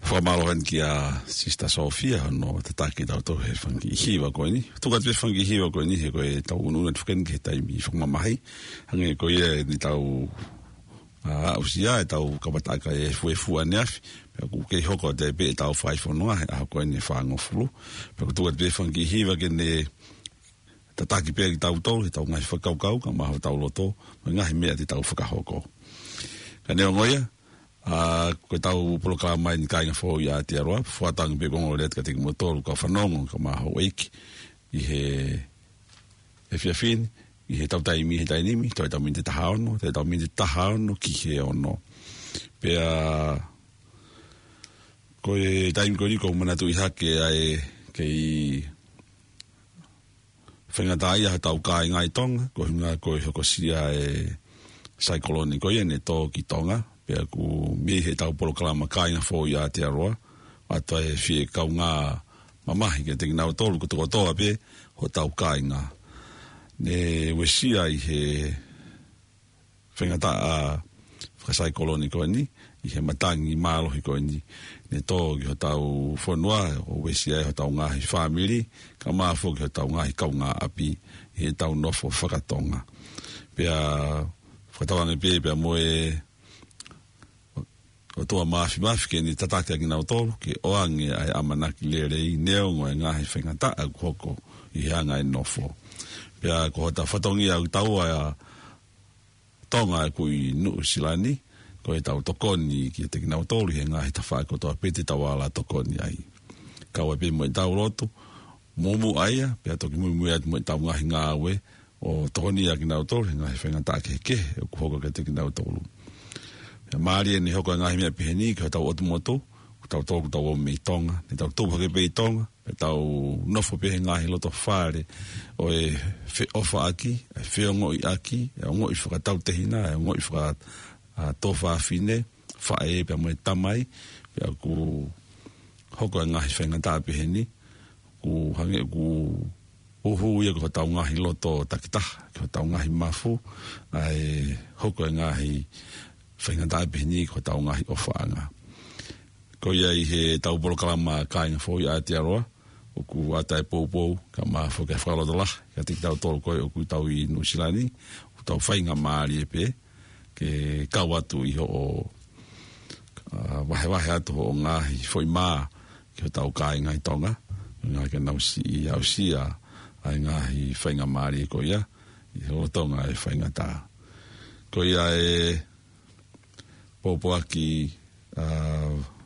Fakamālō heni kia Sister Sophia, hono tataki tautolu he fanga kiʻi hiva ko eni. Tuku atu pē fanga kiʻi hiva ko eni, he ko e tau unu atu fakeni ke taimi fakamamahi. Hangē ko ia eni tau, ā, aʻusia e tau kamataʻanga e fuefua neafi. Pea ʻoku kei hoko atu pē e tau fai fononga, he ʻaho ko eni fāngofulu. Pea ʻoku tuku atu pē fanga kiʻi hiva ke ne tataki pē kitautolu, he tau ngaahi fakakaukau, kae ʻumaʻā hotau loto, mo e ngaahi meʻa te tau fakahoko. Ka neongo ia, ā, ko e tau polokalama eni Kāinga Foʻou ʻi Aotearoa, fuatau ange pē ko e ongoongolelei atu kiate kimoutolu, kau fanongo, kae ʻumaʻā houʻeiki, ʻi he efiafi ni, ʻi he tau taimi, he taimi ni, toe tau miniti taha ono, toe tau miniti taha ono, ki he ono. Pea, ko e taimi ko eni ʻoku ou manatuʻi hake ai, kei faingataʻaʻia hotau kāinga ʻi Tonga, ko e ʻuhinga ko e hokosia e saikolone ko ia ne tō ki Tonga, pea ʻoku mei he tau polokalama Kāinga Foʻou ʻi Aotearoa, ʻoatu ai e fie kaungā mamahi kiate kinautolu kotokotoa pē hotau kāinga. Ne uesia ʻi he faingataʻa fakasaikolone ko eni, ʻi he matangi mālohi ko eni, ne tō ki hotau fonua, ʻo uesia ai hotau ngaahi fāmili, kae ʻumaʻā foki hotau ngaahi kaungāʻapi, ʻi he tau nofo fakatonga. Pea fakatauange pē, pea mo e ʻOtua Māfimafi ke ne tataki ʻa kinautolu, ke ʻoange ʻa e ʻamanaki lelei neongo e ngaahi faingataʻa ʻoku hoko ʻi he anga e nofo. Pea ko hotau fatongia ʻoku tau ʻa Tonga ʻoku ʻi Nuʻusila ni, ko e tau tokoni kiate kinautolu he ngaahi tafaʻaki kotoa pē te tau ala tokoni ai. Kau ai pē mo e tau lotu, muʻomuʻa ia, pea toki muimui atu mo e tau ngaahi ngāue, ʻo tokoni ʻa kinautolu he ngaahi faingataʻa kehekehe ʻoku hoko kiate kinautolu. Pea mālie ʻene hoko e ngaahi meʻa pehē ni ki hotau ʻotu motu, ko tautolu ʻoku tau ō mei Tonga, ne tau tupu hake pē ʻi Tonga, pea tau nofo pē he ngaahi loto fale ʻo e feʻofaʻaki, e feongoʻiʻaki, e ongoʻi fakatautehina, e ongoʻi faka-, ā, tuofāfine, faʻē pea mo e tamai, pea ʻoku hoko e ngaahi faingataʻa pehē ni, ʻoku hangē ʻoku uhu ia ki hotau ngaahi loto takitaha, ki hotau ngaahi mafu, ʻa e hoko e ngaahi faingataʻa pehē ni ki hotau ngaahi ʻofaʻanga. Ko ia ʻi he tau polokalama Kāinga Foʻou ʻi Aotearoa, ʻoku ʻoatu e poupou, kae ʻumaʻā foki e fakalotolahi kiate kitautolu ko ē ʻoku tau ʻi Nuʻusila ni, ʻoku tau faingamālie pē, ke kau atu ʻi hoʻo, ā, vahevahe atu hoʻo ngaahi foʻi mā ki hotau kāinga ʻi Tonga, ngaahi ke nau siʻi aʻusia ʻa e ngaahi faingamālie ko ia, ʻi he lolotonga e faingataʻa. Ko ia e pōpoaki, ā,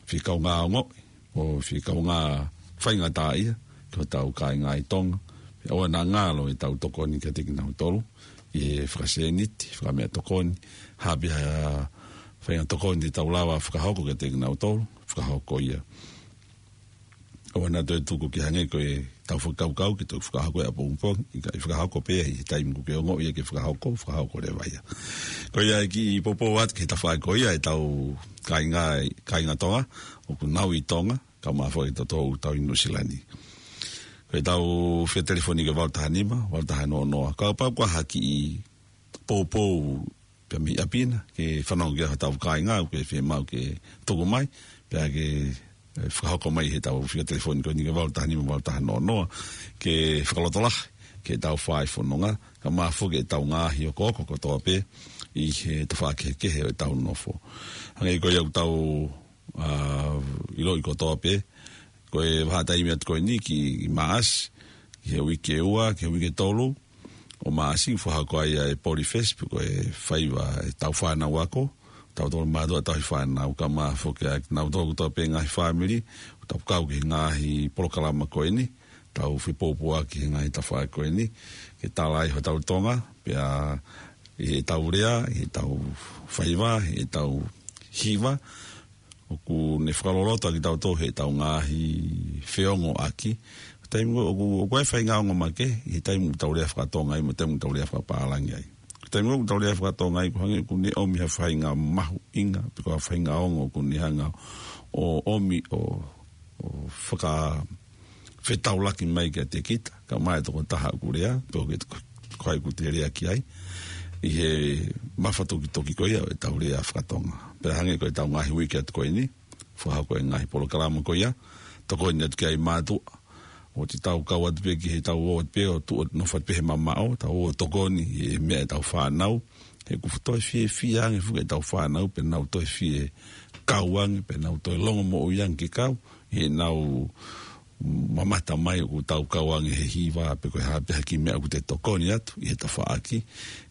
fie kaungā ongoʻi, ʻo fie kaungā faingataʻaʻia, ki hotau kāinga ʻi Tonga, pea ʻoua naʻa ngalo e tau tokoni kiate kinautolu, ʻi he fakasēniti, fakameʻatokoni, ha pē ha faʻahinga tokoni te tau lava fakahoko kiate kinautolu, fakahoko ia. ʻOua naʻa toe tuku ke hangē ko e tau fakakaukau ke toe fakahoko ʻapongipongi, ʻikai, fakahoko pē ʻi he taimi ʻoku ke ongoʻi ai ke fakahoko, fakahoko leva ia. Ko ia e kiʻi poupou atu ki he tafaʻaki ko ia e tau kāinga, kāinga Tonga, ʻoku nau ʻi Tonga, kae ʻumaʻā foki kitautolu ʻoku tau ʻi Nuʻusila ni. Ko e tau fie telefoni ki he valu taha nima, valu taha noa noa. Kapau ʻoku ʻi ai ha kiʻi poupou pea mei ʻapi na, ke fanongo ki ai hotau kāinga, ʻoku fiemaʻu ke tuku mai, pea ke, ē, fakahoko mai he tau fie telefoni ko eni ki he valu taha nima, valu taha noa noa, ke fakalotolahi ki he tau fai fononga, kae ʻumaʻā foki e tau ngaahi okooko kotoa pē ʻi he tafaʻaki kehekehe ʻo e tau nofo. Hangē ko ia ʻoku tau, ā, ʻiloʻi kotoa pē, ko e vahaʻa taimi atu ko eni ki Maʻasi, he uike ua, ki he uike tolu ʻo Maʻasi, fakahoko ai ʻa e Poly Fest, pe ko e faiva ʻetau fānau ako, tautolu mātuʻa tauhi fānau, kae ʻumaʻā foki ʻa kinautolu kotoa pē ngaahi fāmili, ʻoku tau kau ki he ngaahi polokalama ko eni, tau fepōpua ki he ngaahi tafaʻaki ko eni, ke tala ai hotau Tonga, pea ʻi heʻetau lea, ʻi heʻetau faiva, ʻi heʻetau hiva, ʻoku ne fakaloloto ʻaki kitautolu heʻetau ngaahi feongoʻaki. Taimi ko ē ʻoku, ʻoku ʻi ai e faʻahinga ongo makehe, ʻi he taimi ʻoku tau lea fakatonga ai, mo e taimi ʻoku tau lea fakapālangi ai. Taimi ʻoku tau lea fakatonga ai, ʻoku hangē ʻoku ne ʻomi ha faʻahinga mahuʻinga, pe ko ha faʻahinga ongo ʻoku ne hanga ʻo ʻomi ʻo, ʻo faka fetaulaki mai kiate kita, kae ʻumaʻā e tokotaha ʻoku lea, pe ko e, ko hai ʻoku te lea ki ai, ʻi he mafatukituki ko ia ʻo ʻetau lea fakatonga. Pea hangē ko ʻetau ngaahi uike atu ko eni, fakahoko e ngaahi polokalama ko ia, tokoni atu ki ai mātuʻa, ʻoku tau kau atu pē ki heʻetau ō atu pē ʻo tuʻu ʻo nofo atu pē he mamaʻo, tau ō ʻo tokoni he meʻa ʻetau fānau, he ʻoku toe fiefia ange foki ʻetau fānau, pea nau toe fie kau ange, pea nau toe longomoʻui ange ke kau, heʻenau mamata mai ʻoku tau kau ange he hiva, pe ko e hā pē ha kiʻi meʻa ʻoku te tokoni atu ʻi he tafaʻaki,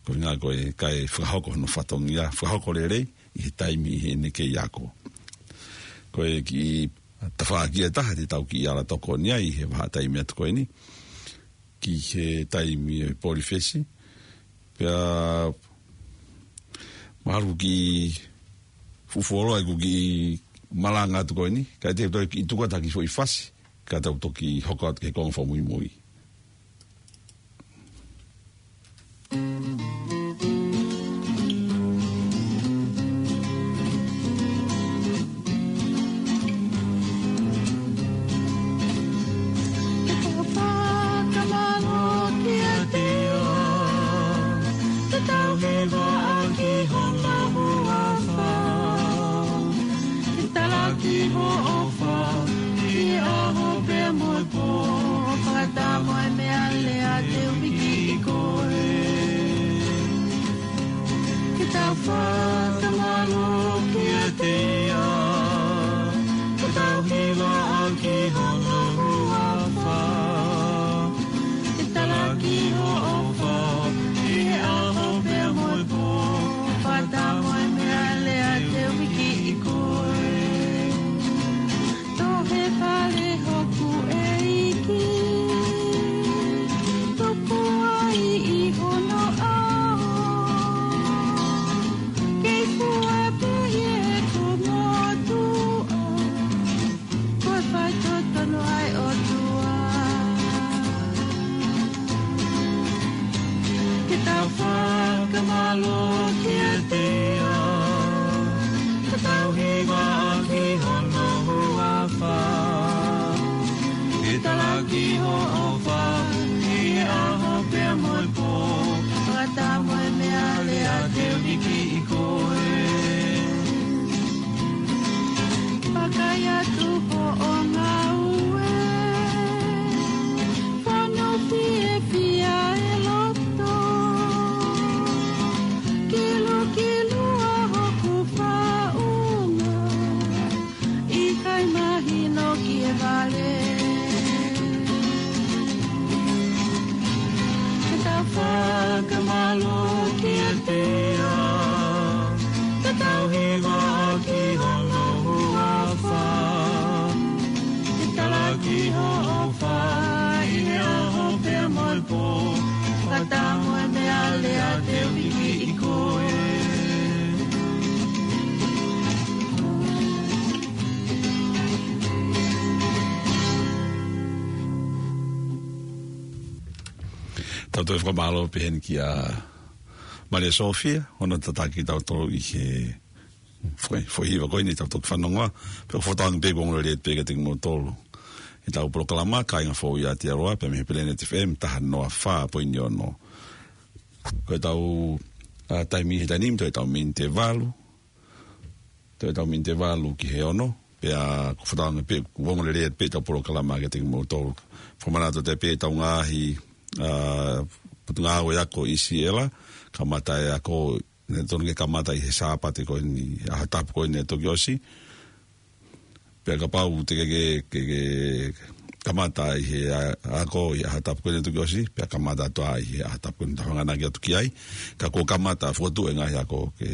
ko e ʻuhinga ko e kae fakahoko hono fatongia, fakahoko lelei ʻi he taimi ʻi heʻene kei ako. Ko e kiʻi tafaʻaki ʻe taha te tau kiʻi ala tokoni ai ʻi he vahaʻa taimi atu ko eni, ki he taimi ʻo e Poly Fest, pea mahalo ʻoku kiʻi fuʻu fuoloa ʻeku kiʻi malanga atu ko eni, kae te u toe kiʻi tuku atu ha kiʻi foʻi fasi, kae tau toki hoko atu ki he konga fakamuimui. Ke tau fakamālō kiate ia, ke tau hivaʻaki hono huafa, ke talaki hoʻo ʻofa ʻi he ʻaho pea mo e pō, fakataha mo e meʻalea te u piki koe. Ke tau fakamālō kiate ia, ke tau hivaʻaki hono huafa, ke talaki hoʻo ʻofa ʻi he ʻaho pea mo e pō, fakataha mo e meʻalea te u piki koe. Tohi fale hoku ʻEiki, tuku ai ʻi hono ʻao, kei fua pē ʻi heʻeku motuʻa, ko e faitotonu ʻa e ʻOtua. Ke tau fakamālō kiate ia, ke tau hivaʻaki hono huafa, ke talaki hoʻo ʻofa ʻi he ʻaho pea mo e pō, fakataha mo e meʻalea te u piki koe. Vakai atu hoʻo ngāue, fonu fiefia e loto, kilukilu ʻa hoku faʻunga, ʻikai mahino ki he vale. Ke tau fakamālō kiate ia, ke tau hivaʻaki hono huafa, ke talaki hoʻo ʻofa ʻi he ʻaho pea mo e pō, fakataha mo e meʻalea te u piki koe. Tau toe fakamālō pē heni kia Malia Sofia, hono tataki kitautolu ʻi he foʻi, foʻi hiva ko eni tau toki fanongoa, pea ʻoku fakatauange pē ʻoku ongo lelei pē kiate kimoutolu ʻetau polokalama, Kāinga Fou ʻi Aotearoa, pea mei he Planet F M taha noa fā poini ono. Ko ʻetau, ā, taimi he taimi ni, toe ʻetau miniti ʻe valu, toe ʻetau miniti ʻe valu ki he ono, pea ʻoku fakatauange pē ʻoku ongo lelei pē ʻetau polokalama kiate kimoutolu. Fakamanatu atu pē ʻetau ngaahi, ā, potungāue ako ʻi Siela, kamata e ako, ne tonu ke kamata ʻi he Sāpate ko eni, ʻaho Tapu ko eni ʻe toki ʻosi. Pea kapau te ke, ke, ke, ke kamata ʻi he ʻa-, ako ʻi he ʻaho tapu ko eni tuku ʻosi, pea kamata atu ai ʻi he ʻaho tapu ko eni tau hanganaki atu ki ai. Ka kuo kamata fokotuʻu e ngaahi ako ke,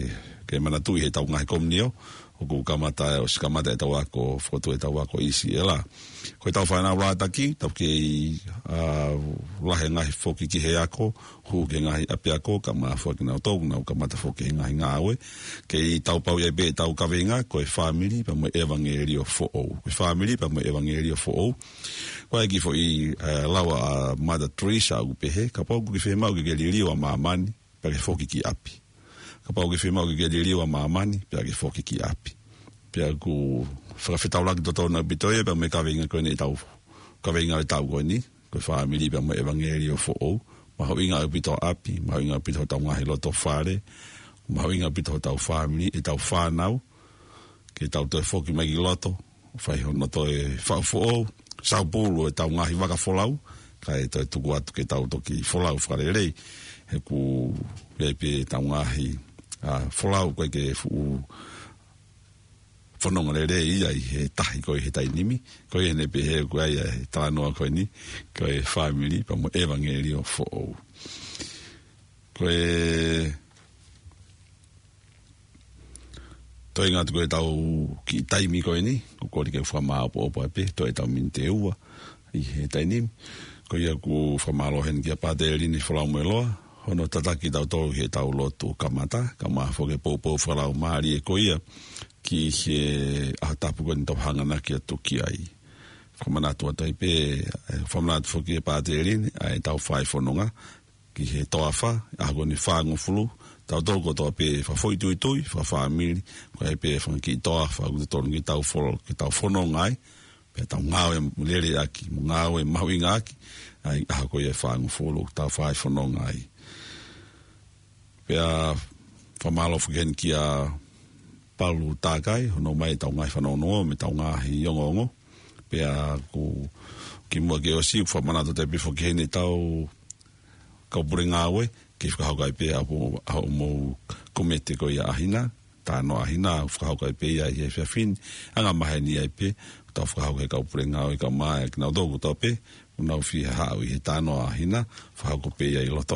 ke manatuʻi heʻetau ngaahi komiunio, ʻoku kamata, ʻosi kamata ʻetau ako, fokotuʻu ʻetau ako ʻi Siʻela. Ko ʻetau fānau lātaki, tau kei, ʻa, lahi e ngaahi foki ki he ako, hū ki he ngaahi ʻapiako, kae ʻumaʻā foki kinautolu ʻoku nau kamata foki he ngaahi ngāue. Kei tau pau ia pē ʻetau kaveinga, ko e fāmili pea mo e ʻevangeliō foʻou. Ko e fāmili pea mo e ʻevangeliō foʻou. Ko e kiʻi foʻi, ē, lau ʻa Mother Teresa ʻoku pehē, kapau ʻoku ke fiemaʻu ke ke liliu ʻa māmani, pea ke foki ki ʻapi. Kapau ʻoku ke fiemaʻu ke ke liliu ʻa māmani, pea ke foki ki ʻapi. Pea ʻoku fakafetaulaki totonu ʻaupito ia, pea mo e kaveinga ko eni ʻetau, kaveinga ʻetau ko eni, ko e fāmili pea mo e ʻevangeliō foʻou. Mahuʻinga ʻaupito ʻapi, mahuʻinga ʻaupito hotau ngaahi loto fale, mahuʻinga ʻaupito hotau fāmili, ʻetau fānau, ke tau toe foki mai ki loto, fai hono toe faʻu foʻou, saupulu ʻetau ngaahi vaka folau, kae toe tuku atu ke tau toki folau fakalelei, he ʻoku ʻi ai pē ʻetau ngaahi, ʻa, folau ko ē ke fuʻu fononga lelei ia ʻi he tahi ko ē he taimi ni, ko ia naʻe pehē ko ē ʻa e talanoa ko eni, ko e fāmili pea mo e ʻevangeliō foʻou. Ko e toenga atu ko ē ʻetau kiʻi taimi ko eni, ʻoku ou kole ke u fakamāʻopoʻopo ai pē, toe ʻetau miniti ʻe ua, ʻi he taimi ni. Ko ia ʻoku ou fakamālō heni kia Pātele Lini Folau Meloa, hono tataki kitautolu heʻetau lotu kamata, kae ʻumaʻā foki e poupou fakalaumālie ko ia, ki he ʻaho tapu ko eni tau hanganaki atu ki ai. Fakamanatu atu ai pē, ē, fakamanatu foki ʻe Pātele Lini, ʻa ʻetau fai fononga, ki he toafa, ʻaho ko eni fāngofulu, tautolu kotoa pē fakafoʻituitui, fakafāmili, ko e pē fanga kiʻi toafa, ʻoku totonu ke tau folo-, ke tau fononga ai, pea tau ngāue lelei ʻaki, mo ngāue mahuʻinga ʻaki, ʻa e ʻaho ko ia ʻe fāngofulu, tau fai fononga ai. Pea fakamālō foki heni kia Palu Takai, hono ʻomai ʻetau ngaahi fanongonongo, mo ʻetau ngaahi ongoongo. Pea ʻoku kimuʻa ke ʻosi, ʻoku fakamanatu atu ai pē foki heni ʻetau kau pule ngāue, ke fakahoko ai pē ʻa hoʻo, ʻa hoʻomou komete ko ia ʻaʻahina, talanoa ʻaʻahina, fakahoko ai pē ia ʻi he efiafi ni, anga maheni ai pē, tau fakahoko ʻe he kau pule ngāue kae ʻumaʻā kinautolu kotoa pē, ʻoku nau fie haʻu ʻi he talanoa ʻaʻahina, fakahoko pē ia ʻi loto